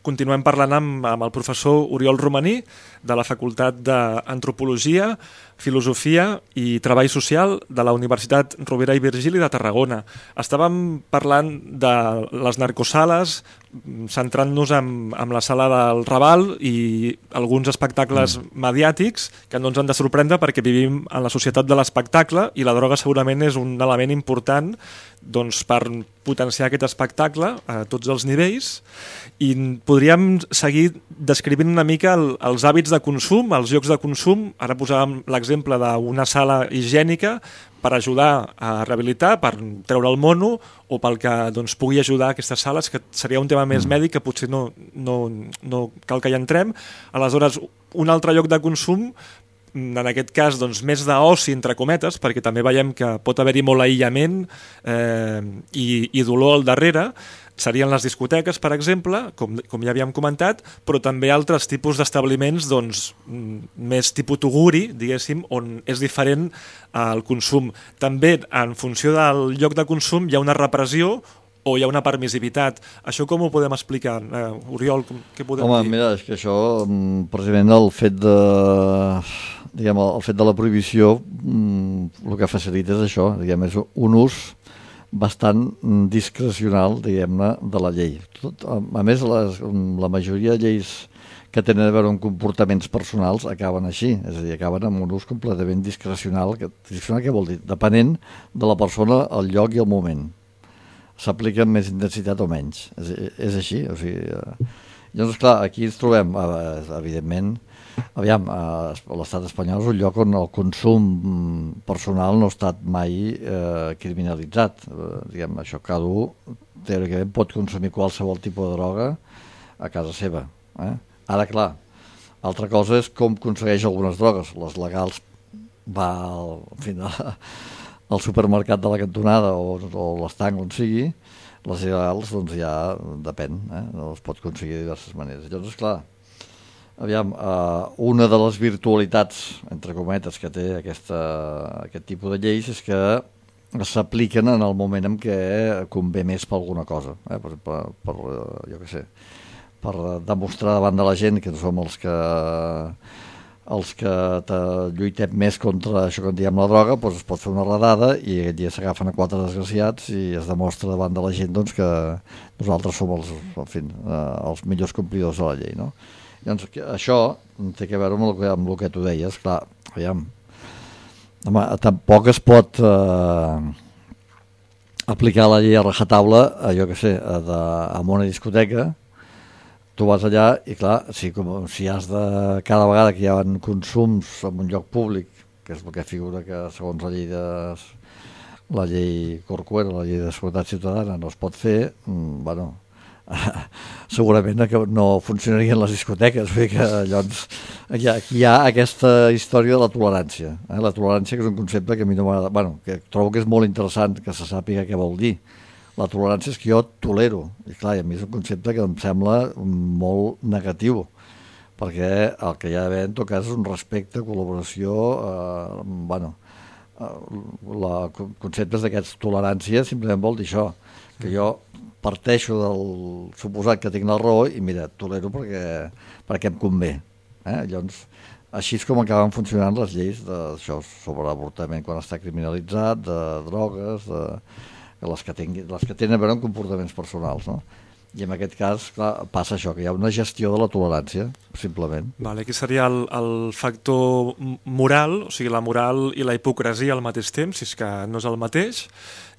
continuem parlant amb, amb el professor Oriol Romaní, de la Facultat d'Antropologia, Filosofia i Treball Social de la Universitat Rovira i Virgili de Tarragona. Estàvem parlant de les narcosales, centrant-nos en, en la sala del Raval i alguns espectacles mm. mediàtics que no ens han de sorprendre perquè vivim en la societat de l'espectacle i la droga segurament és un element important doncs, per potenciar aquest espectacle a tots els nivells, i podríem seguir descrivint una mica el, els hàbits de consum, els llocs de consum. Ara posàvem l'exemple d'una sala higiènica per ajudar a rehabilitar, per treure el mono, o pel que doncs, pugui ajudar a aquestes sales, que seria un tema més mèdic que potser no, no, no cal que hi entrem. Aleshores, un altre lloc de consum, en aquest cas doncs, més d'oci, entre cometes, perquè també veiem que pot haver-hi molt aïllament eh, i, i dolor al darrere, serien les discoteques, per exemple, com, com ja havíem comentat, però també altres tipus d'establiments doncs, més tipus tuguri, diguéssim, on és diferent el consum. També, en funció del lloc de consum, hi ha una repressió o hi ha una permissivitat. Això com ho podem explicar? Uh, Oriol, com, què podem Home, dir? Mira, és que això, precisament el fet de, diguem, el fet de la prohibició, el que facilita és això, diguem, és un ús bastant discrecional, diguem-ne, de la llei. Tot, a més, les, la majoria de lleis que tenen a veure amb comportaments personals acaben així, és a dir, acaben amb un ús completament discrecional. Que, discrecional què vol dir? Depenent de la persona, el lloc i el moment. S'aplica amb més intensitat o menys. És, és així. O sigui, eh, llavors, clar, aquí ens trobem, eh, evidentment, aviam, eh, l'estat espanyol és un lloc on el consum personal no ha estat mai eh, criminalitzat. Eh, diguem, això cada un, teòricament, pot consumir qualsevol tipus de droga a casa seva. Eh? Ara, clar, altra cosa és com aconsegueix algunes drogues. Les legals va al, en fi, al supermercat de la cantonada o, o l'estanc on sigui, les il·legals doncs ja depèn, eh? No es pot aconseguir de diverses maneres. Llavors, clar, aviam, uh, una de les virtualitats, entre cometes, que té aquesta, aquest tipus de lleis és que s'apliquen en el moment en què convé més per alguna cosa, eh? per, per, per, jo què sé, per demostrar davant de la gent que no som els que els que lluitem més contra això que en diem la droga, doncs es pot fer una redada i aquest dia s'agafen a quatre desgraciats i es demostra davant de la gent doncs, que nosaltres som els, en fi, els millors complidors de la llei, no? Llavors, això té a veure amb el que, amb el que tu deies, clar, aviam, home, tampoc es pot eh, aplicar la llei a rajatabla, eh, jo què sé, de, en una discoteca. Tu vas allà i, clar, si, com, si has de... Cada vegada que hi ha consums en un lloc públic, que és el que figura que, segons la llei de... la llei Corcuera, la llei de seguretat ciutadana, no es pot fer, mm, bueno, segurament que no funcionarien les discoteques, vull dir que llavors aquí hi ha, aquí hi ha aquesta història de la tolerància. Eh? La tolerància, que és un concepte que a mi no m'agrada... Bueno, que trobo que és molt interessant que se sàpiga què vol dir. La tolerància és que jo tolero, i clar, a mi és un concepte que em sembla molt negatiu, perquè el que hi ha d'haver en tot cas és un respecte, col·laboració, eh, bueno, eh, la, conceptes d'aquests tolerància simplement vol dir això, que jo parteixo del suposat que tinc la raó i mira, tolero perquè, perquè em convé. Eh? Llavors, així és com acaben funcionant les lleis d'això sobre l'avortament quan està criminalitzat, de drogues, de... Les que, tingui, les que tenen a veure amb comportaments personals, no? I en aquest cas, clar, passa això, que hi ha una gestió de la tolerància, simplement. Vale, aquí seria el, el factor moral, o sigui, la moral i la hipocresia al mateix temps, si és que no és el mateix,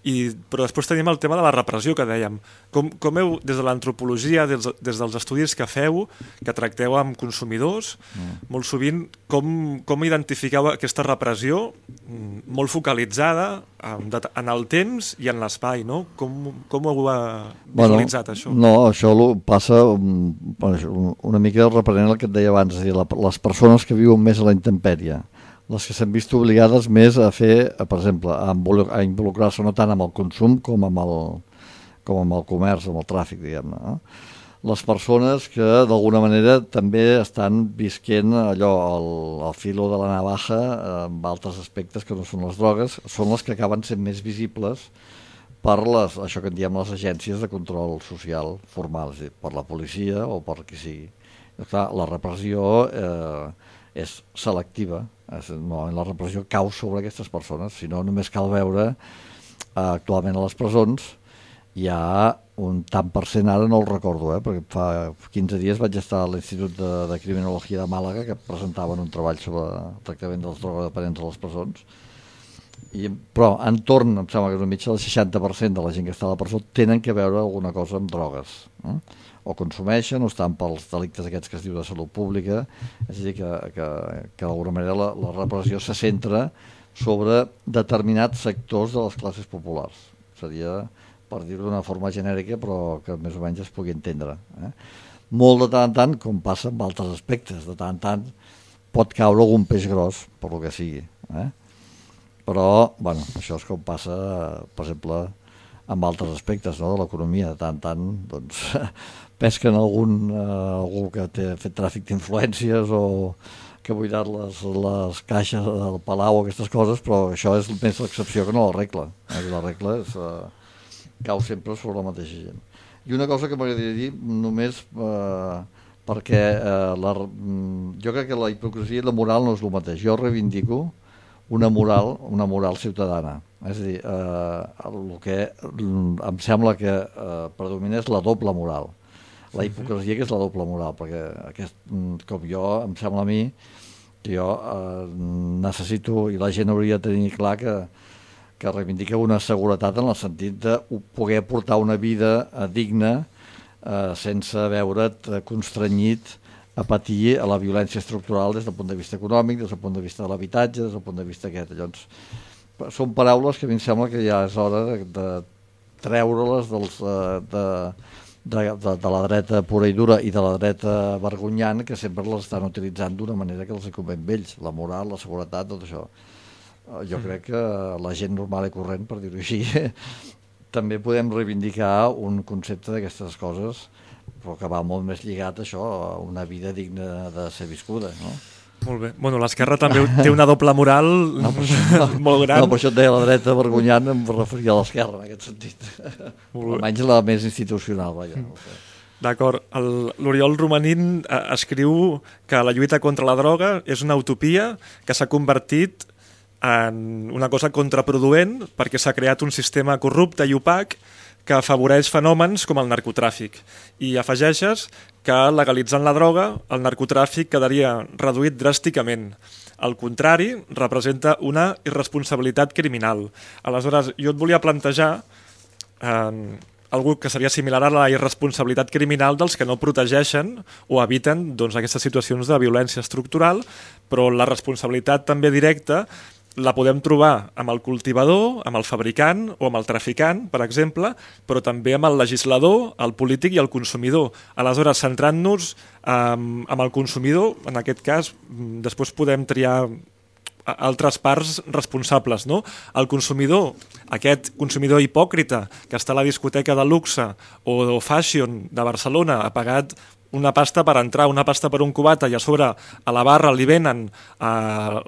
i, però després tenim el tema de la repressió que dèiem. Com, com heu, des de l'antropologia, des, des dels estudis que feu, que tracteu amb consumidors, mm. molt sovint, com, com identifiqueu aquesta repressió molt focalitzada en, en el temps i en l'espai, no? Com, com ho heu visualitzat, bueno, això? No, això passa una mica reprenent el que et deia abans, és a dir, la, les persones que viuen més a la intempèrie, les que s'han vist obligades més a fer, per exemple, a involucrar-se no tant amb el consum com amb el, com amb el comerç, amb el tràfic, diguem-ne. No? Les persones que d'alguna manera també estan visquent allò, el, el filo de la navaja, amb altres aspectes que no són les drogues, són les que acaben sent més visibles per les, això que en diem les agències de control social formal, és a dir, per la policia o per qui sigui. Clar, la repressió eh, és selectiva, és, no, la repressió cau sobre aquestes persones, si no només cal veure eh, actualment a les presons hi ha un tant per cent, ara no el recordo, eh, perquè fa quinze dies vaig estar a l'Institut de, de Criminologia de Màlaga, que presentaven un treball sobre el tractament dels drogodependents a les presons, I, però entorn, em sembla que una mitja del seixanta per cent de la gent que està a la presó tenen que veure alguna cosa amb drogues, eh? O consumeixen o estan pels delictes aquests que es diu de salut pública, és a dir, que, que, que d'alguna manera la, la repressió se centra sobre determinats sectors de les classes populars. Seria, per dir-ho d'una forma genèrica, però que més o menys es pugui entendre. Eh? Molt de tant en tant, com passa amb altres aspectes, de tant en tant pot caure algun peix gros, per lo que sigui. Eh? Però, bueno, això és com passa, per exemple, amb altres aspectes, no?, de l'economia. De tant en tant, doncs, pesquen algun, eh, algú que té fet tràfic d'influències o que ha buidat les, les caixes del Palau o aquestes coses, però això és més l'excepció que no la regla. Eh? La regla és, eh, cau sempre sobre la mateixa gent. I una cosa que m'agradaria dir, només eh, perquè eh, la, jo crec que la hipocresia i la moral no és el mateix. Jo reivindico una moral, una moral ciutadana. És a dir, eh, el que em sembla que eh, predomina és la doble moral. La hipocresia, que és la doble moral, perquè aquest, com jo, em sembla a mi que jo eh, necessito, i la gent hauria de tenir clar que, que reivindica una seguretat en el sentit de poder portar una vida eh, digna eh, sense veure't constrenyit a patir a la violència estructural des del punt de vista econòmic, des del punt de vista de l'habitatge, des del punt de vista aquest. Llavors, són paraules que a mi em sembla que ja és hora de, de treure-les dels, de, de, de, de la dreta pura i dura i de la dreta vergonyant, que sempre les estan utilitzant d'una manera que els convé amb ells, la moral, la seguretat, tot això. Jo crec que la gent normal i corrent, per dir-ho així, també podem reivindicar un concepte d'aquestes coses, però que va molt més lligat a això, a una vida digna de ser viscuda, no? Molt bé. Bueno, l'esquerra també té una doble moral no, això, molt gran. No, per això et deia la dreta vergonyant, em referia a l'esquerra, en aquest sentit. Almenys la més institucional, vaja. D'acord. L'Oriol Romanín eh, escriu que la lluita contra la droga és una utopia que s'ha convertit en una cosa contraproduent perquè s'ha creat un sistema corrupte i opac que afavoreix fenòmens com el narcotràfic. I afegeixes que legalitzant la droga, el narcotràfic quedaria reduït dràsticament. Al contrari, representa una irresponsabilitat criminal. Aleshores, jo et volia plantejar eh, algú que seria similar a la irresponsabilitat criminal dels que no protegeixen o eviten doncs, aquestes situacions de violència estructural, però la responsabilitat també directa la podem trobar amb el cultivador, amb el fabricant o amb el traficant, per exemple, però també amb el legislador, el polític i el consumidor. Aleshores, centrant-nos um, amb el consumidor, en aquest cas, després podem triar altres parts responsables, no? El consumidor, aquest consumidor hipòcrita que està a la discoteca de luxe o, o fashion de Barcelona, ha pagat una pasta per entrar, una pasta per un cubata i a sobre a la barra li venen uh,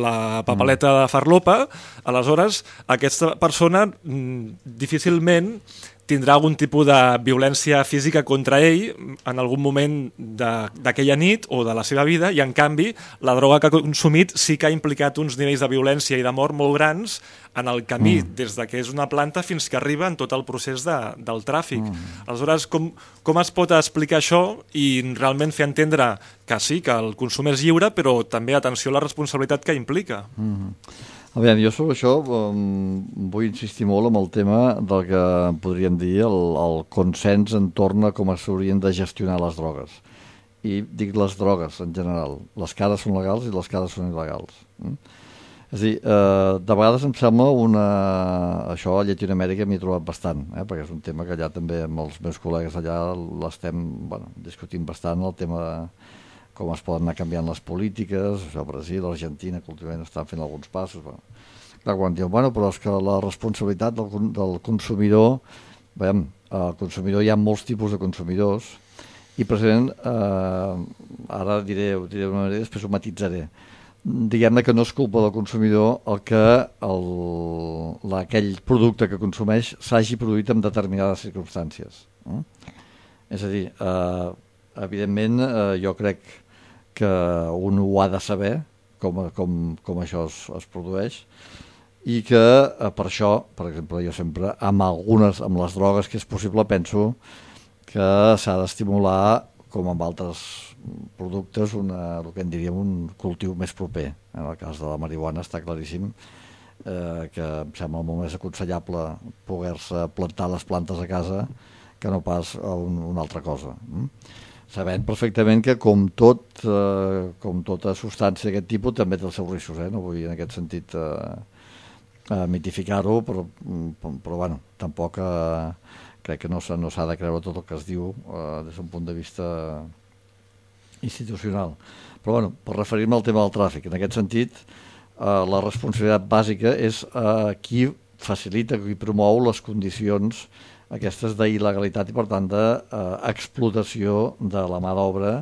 la papeleta de farlopa, aleshores aquesta persona mm, difícilment tindrà algun tipus de violència física contra ell en algun moment d'aquella nit o de la seva vida, i en canvi la droga que ha consumit sí que ha implicat uns nivells de violència i de mort molt grans en el camí, mm. des de que és una planta fins que arriba en tot el procés de, del tràfic. Mm. Aleshores, com, com es pot explicar això i realment fer entendre que sí, que el consum és lliure, però també, atenció, a la responsabilitat que implica? Mm. A veure, jo sobre això um, vull insistir molt amb el tema del que podríem dir el, el consens entorn a com s'haurien de gestionar les drogues. I dic les drogues en general. Les que ara són legals i les que ara són il·legals. Mm? És a dir, eh, de vegades em sembla una... Això a Llatinoamèrica m'hi he trobat bastant, eh? Perquè és un tema que allà també amb els meus col·legues allà l'estem bueno, discutint bastant, el tema de com es poden anar canviant les polítiques, això, Brasil, Argentina, que últimament estan fent alguns passos. Bueno. Clar, quan diuen, bueno, però és que la responsabilitat del, del consumidor, veiem, el consumidor hi ha molts tipus de consumidors, i precisament, eh, ara diré, diré una manera, després ho matitzaré. diguem-ne que no és culpa del consumidor el que el, la, aquell producte que consumeix s'hagi produït en determinades circumstàncies. Eh? És a dir, eh, evidentment eh, jo crec que un ho ha de saber com, com, com això es, es produeix i que eh, per això, per exemple, jo sempre amb algunes, amb les drogues que és possible, penso que s'ha d'estimular com amb altres productes, una, el que en diríem un cultiu més proper. En el cas de la marihuana està claríssim eh, que em sembla molt més aconsellable poder-se plantar les plantes a casa que no pas a un, una altra cosa. Mm? Sabent perfectament que com tot, eh, com tota substància d'aquest tipus també té els seus riscos, eh? No vull en aquest sentit eh, eh, mitificar-ho, però, però, però bueno, tampoc eh, crec que no s'ha no s'ha de creure tot el que es diu eh, des d'un punt de vista institucional. Però bueno, per referir-me al tema del tràfic, en aquest sentit eh, la responsabilitat bàsica és eh, qui facilita, qui promou les condicions aquestes d'il·legalitat i per tant d'explotació de la mà d'obra,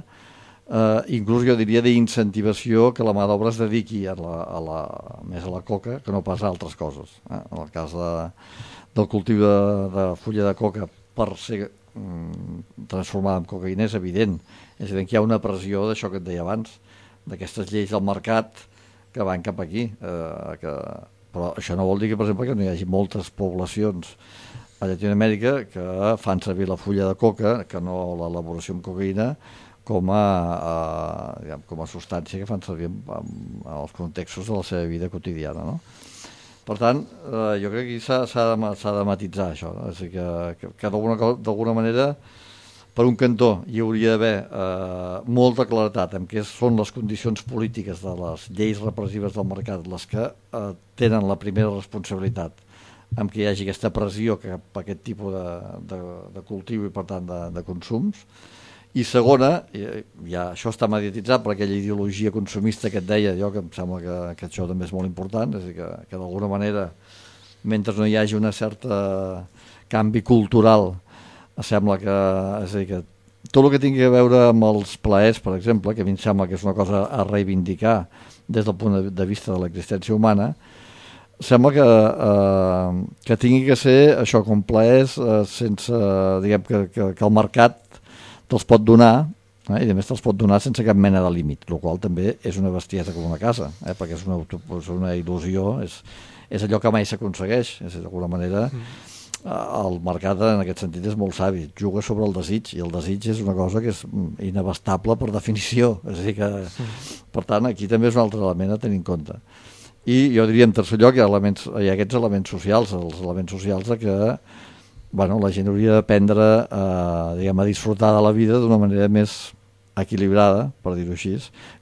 eh, inclús jo diria d'incentivació que la mà d'obra es dediqui a la, a la, més a la coca que no pas a altres coses. Eh? En el cas de, del cultiu de, de fulla de coca per ser mm, transformada en cocaïna és evident. És evident que hi ha una pressió d'això que et deia abans, d'aquestes lleis del mercat que van cap aquí. Eh, que, però això no vol dir que, per exemple, que no hi hagi moltes poblacions a Llatinoamèrica que fan servir la fulla de coca, que no l'elaboració amb cocaïna, com a, a, diguem, com a substància que fan servir en, en, en els contextos de la seva vida quotidiana, no? Per tant, eh, jo crec que s'ha de, de matitzar això, no? És a dir, que, que, que d'alguna manera, per un cantó, hi hauria d'haver eh, molta claretat en què són les condicions polítiques de les lleis repressives del mercat les que eh, tenen la primera responsabilitat amb què hi hagi aquesta pressió cap a aquest tipus de, de, de cultiu i, per tant, de, de consums. I segona, ja això està mediatitzat per aquella ideologia consumista que et deia jo, que em sembla que, que això també és molt important, és a dir, que, que d'alguna manera, mentre no hi hagi una certa canvi cultural, sembla que, és a dir, que tot el que tingui a veure amb els plaers, per exemple, que a mi em sembla que és una cosa a reivindicar des del punt de vista de l'existència humana, sembla que, eh, que tingui que ser això com plaers eh, sense, diguem, que, que, que el mercat te'ls pot donar, eh, i a més te'ls pot donar sense cap mena de límit, el qual també és una bestiesa com una casa, eh, perquè és una, és una il·lusió, és, és allò que mai s'aconsegueix, és d'alguna manera el mercat en aquest sentit és molt savi, juga sobre el desig, i el desig és una cosa que és inabastable per definició, és a dir que, per tant, aquí també és un altre element a tenir en compte. I jo diria, en tercer lloc, hi ha, elements, hi ha aquests elements socials, els elements socials de que bueno, la gent hauria d'aprendre eh, diguem, a disfrutar de la vida d'una manera més equilibrada, per dir-ho així,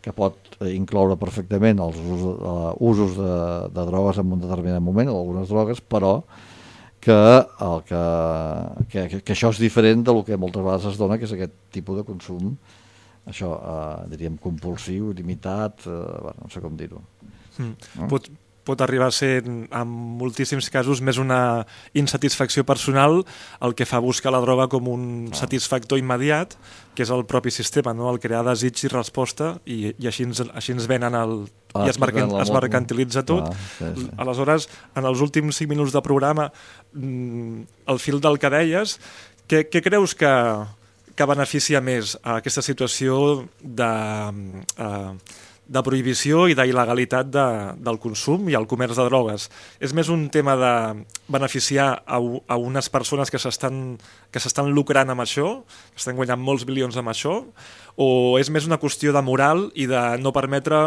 que pot incloure perfectament els usos, uh, usos de, de drogues en un determinat moment, o algunes drogues, però que, el que, que, que això és diferent del que moltes vegades es dona, que és aquest tipus de consum, això, eh, diríem, compulsiu, limitat, eh, bueno, no sé com dir-ho. Mm. No? Pot, pot arribar a ser, en moltíssims casos, més una insatisfacció personal el que fa buscar la droga com un ah. satisfactor immediat, que és el propi sistema, no? El crear desig i resposta, i, i així, ens, així ens venen el... Ah, i es, mercan, es mercantilitza tot. Ah, sí, sí. Aleshores, en els últims cinc minuts de programa, el fil del que deies, què, què creus que, que beneficia més a aquesta situació de... Uh, de prohibició i d'il·legalitat de, del consum i el comerç de drogues? És més un tema de beneficiar a, a unes persones que s'estan que s'estan lucrant amb això, que estan guanyant molts bilions amb això, o és més una qüestió de moral i de no permetre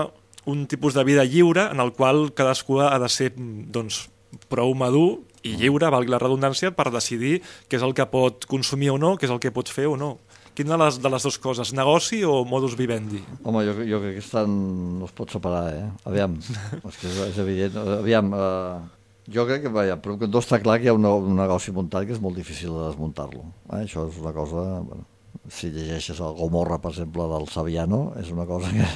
un tipus de vida lliure en el qual cadascú ha de ser doncs, prou madur i lliure, valgui la redundància, per decidir què és el que pot consumir o no, què és el que pot fer o no? Quina de les, de les dues coses, negoci o modus vivendi? Home, jo, jo crec que estan, no es pot separar, eh? Aviam, és que és, és evident. Aviam, eh, jo crec que, vaja, però que no està clar que hi ha un, un negoci muntat que és molt difícil de desmuntar-lo. Eh? Això és una cosa, bueno, si llegeixes el Gomorra, per exemple, del Saviano, és una cosa que,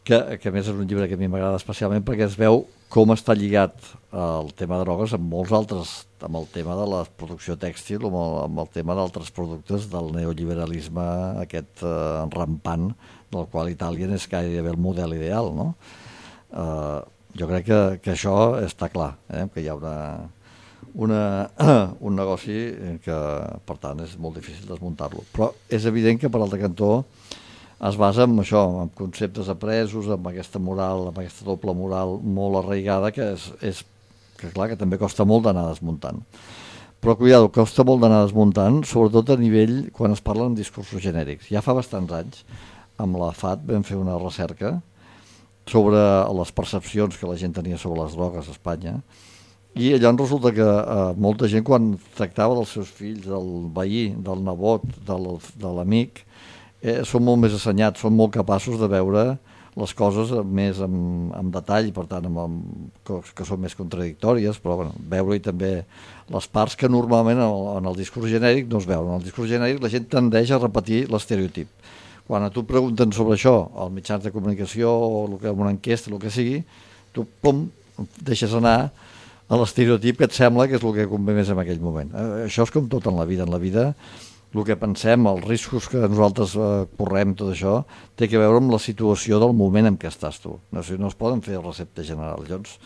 que, que a més és un llibre que a mi m'agrada especialment perquè es veu com està lligat el tema de drogues amb molts altres, amb el tema de la producció tèxtil o amb el, amb el tema d'altres productes del neoliberalisme aquest eh, rampant del qual Itàlia és gairebé el model ideal, no? Uh, jo crec que, que això està clar, eh? Que hi ha una, una, un negoci que, per tant, és molt difícil desmuntar-lo. Però és evident que, per altre cantó, es basa en això, en conceptes apresos, amb aquesta moral, amb aquesta doble moral molt arraigada, que és, és que clar, que també costa molt d'anar desmuntant. Però, cuidado, costa molt d'anar desmuntant, sobretot a nivell, quan es parlen discursos genèrics. Ja fa bastants anys, amb la F A T vam fer una recerca sobre les percepcions que la gent tenia sobre les drogues a Espanya, i allà resulta que eh, molta gent, quan tractava dels seus fills, del veí, del nebot, del, de l'amic, eh, són molt més assenyats, són molt capaços de veure les coses més amb, amb detall, per tant, amb, amb, que són més contradictòries, però bueno, veure-hi també les parts que normalment en el, en el discurs genèric no es veuen. En el discurs genèric la gent tendeix a repetir l'estereotip. Quan a tu pregunten sobre això, als mitjans de comunicació, o el que, una enquesta, el que sigui, tu, pum, deixes anar a l'estereotip que et sembla que és el que convé més en aquell moment. Eh, això és com tot en la vida. En la vida, el que pensem, els riscos que nosaltres eh, correm, tot això, té que veure amb la situació del moment en què estàs tu. No, o sigui, no es poden fer receptes generals. Llavors,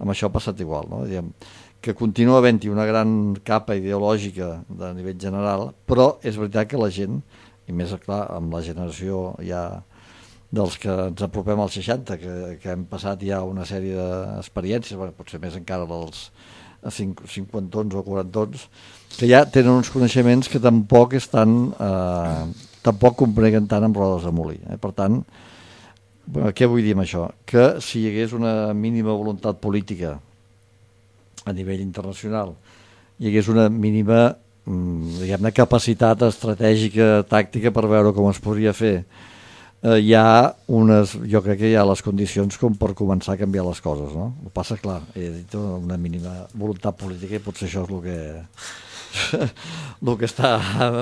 amb això ha passat igual, no? Diguem, que continua havent-hi una gran capa ideològica de nivell general, però és veritat que la gent, i més clar, amb la generació ja dels que ens apropem als seixanta, que, que hem passat ja una sèrie d'experiències, bueno, potser més encara dels cinquantons o quarantons, que ja tenen uns coneixements que tampoc estan, eh, tampoc compreguen tant amb rodes de molí. Eh? Per tant, què vull dir amb això? Que si hi hagués una mínima voluntat política a nivell internacional, hi hagués una mínima, diguem-ne, capacitat estratègica, tàctica per veure com es podria fer, eh, hi ha unes, jo crec que hi ha les condicions com per començar a canviar les coses, no? El que passa, clar, he dit una mínima voluntat política i potser això és el que el que està,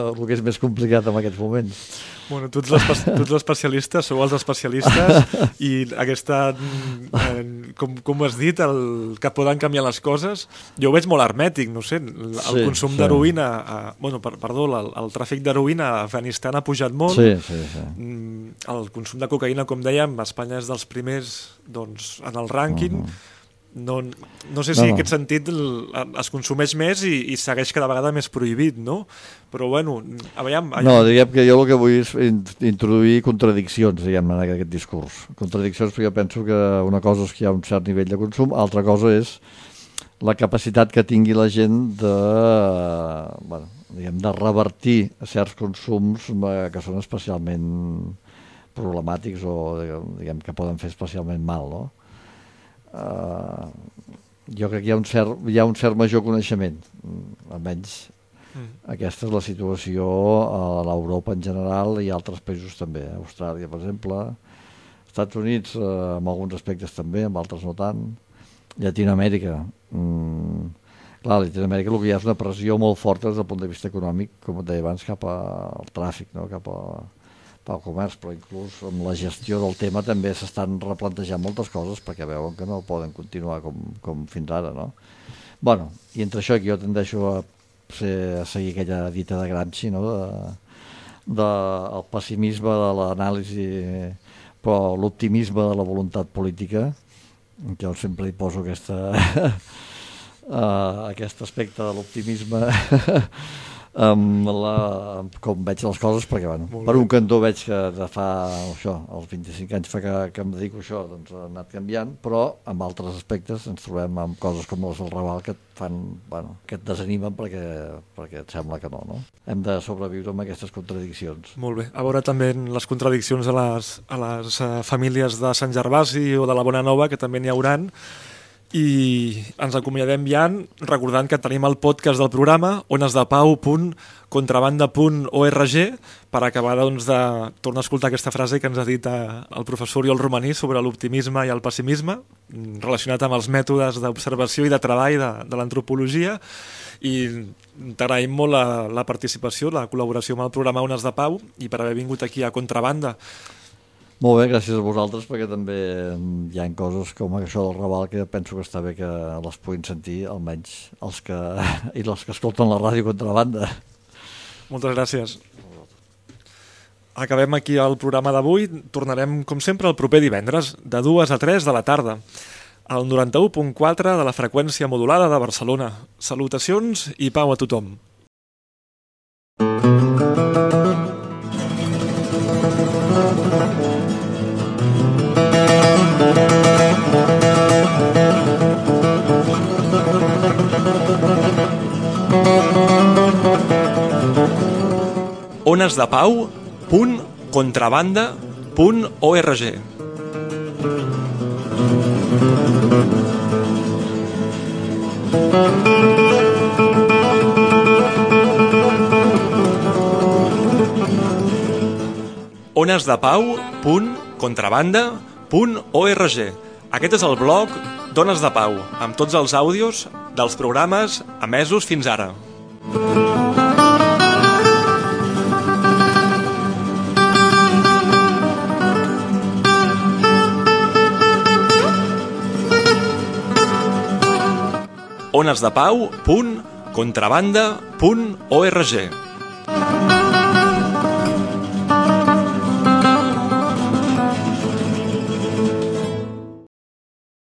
el que és més complicat en aquests moments. Bueno, tots els, tots els especialistes sou els especialistes i aquesta, eh, com, com has dit, el, que poden canviar les coses, jo ho veig molt hermètic, no sé, el, el sí, consum sí. d'heroïna, a, bueno, per, perdó, el, el tràfic d'heroïna a Afganistan ha pujat molt, sí, sí, sí. El consum de cocaïna, com dèiem, a Espanya és dels primers, doncs, en el rànquing. Uh-huh. No, no sé si no, no. en aquest sentit el, es consumeix més i, i segueix cada vegada més prohibit, no? Però bueno, aviam... No, diguem que jo el que vull és introduir contradiccions, diguem, en aquest discurs. Contradiccions perquè jo penso que una cosa és que hi ha un cert nivell de consum, altra cosa és la capacitat que tingui la gent de, bueno, diguem, de revertir certs consums que són especialment problemàtics o diguem, que poden fer especialment mal, no? Uh, jo crec que hi ha un cert, hi ha un cert major coneixement, almenys mm. aquesta és la situació a l'Europa en general i altres països també, eh? Austràlia per exemple, Estats Units uh, amb alguns aspectes també, amb altres no tant, Llatinoamèrica mm, clar, a Llatinoamèrica el que hi ha és una pressió molt forta des del punt de vista econòmic, com et deia abans, cap al tràfic, no? Cap a pel comerç, però inclús amb la gestió del tema també s'estan replantejant moltes coses perquè veuen que no poden continuar com, com fins ara, no? Bueno, i entre això que jo tendeixo a, ser, a seguir aquella dita de Gramsci, no? De, de el pessimisme de l'anàlisi, però l'optimisme de la voluntat política, que jo sempre hi poso aquesta, uh, aquest aspecte de l'optimisme amb la, com veig les coses, perquè bueno, per un cantó veig que de fa això, els vint-i-cinc anys fa que, que em dedico a això, doncs ha anat canviant, però amb altres aspectes ens trobem amb coses com les del Raval que et fan, bueno, que et desanimen perquè, perquè et sembla que no, no? Hem de sobreviure amb aquestes contradiccions. Molt bé, a veure també les contradiccions a les, a les uh, famílies de Sant Gervasi o de la Bona Nova, que també n'hi hauran. I ens acomiadem ja recordant que tenim el podcast del programa onesdepau punt contrabanda punt org per acabar doncs, de tornar a escoltar aquesta frase que ens ha dit el professor Oriol Romaní sobre l'optimisme i el pessimisme relacionat amb els mètodes d'observació i de treball de, de l'antropologia, i t'agraïm molt la, la participació, la col·laboració amb el programa Ones de Pau i per haver vingut aquí a Contrabanda. Molt bé, gràcies a vosaltres, perquè també hi ha coses com això del Raval que penso que està bé que les puguin sentir, almenys els que, i els que escolten la ràdio Contrabanda. Moltes gràcies. acabem aquí el programa d'avui. Tornarem, com sempre, el proper divendres, de dues a tres de la tarda, al noranta-u punt quatre de la freqüència modulada de Barcelona. Salutacions i pau a tothom. onesdepau punt contrabanda punt org. onesdepau punt contrabanda punt org. Aquest és el blog d'Ones de Pau, amb tots els àudios dels programes emesos fins ara. onesdepau punt contrabanda punt org.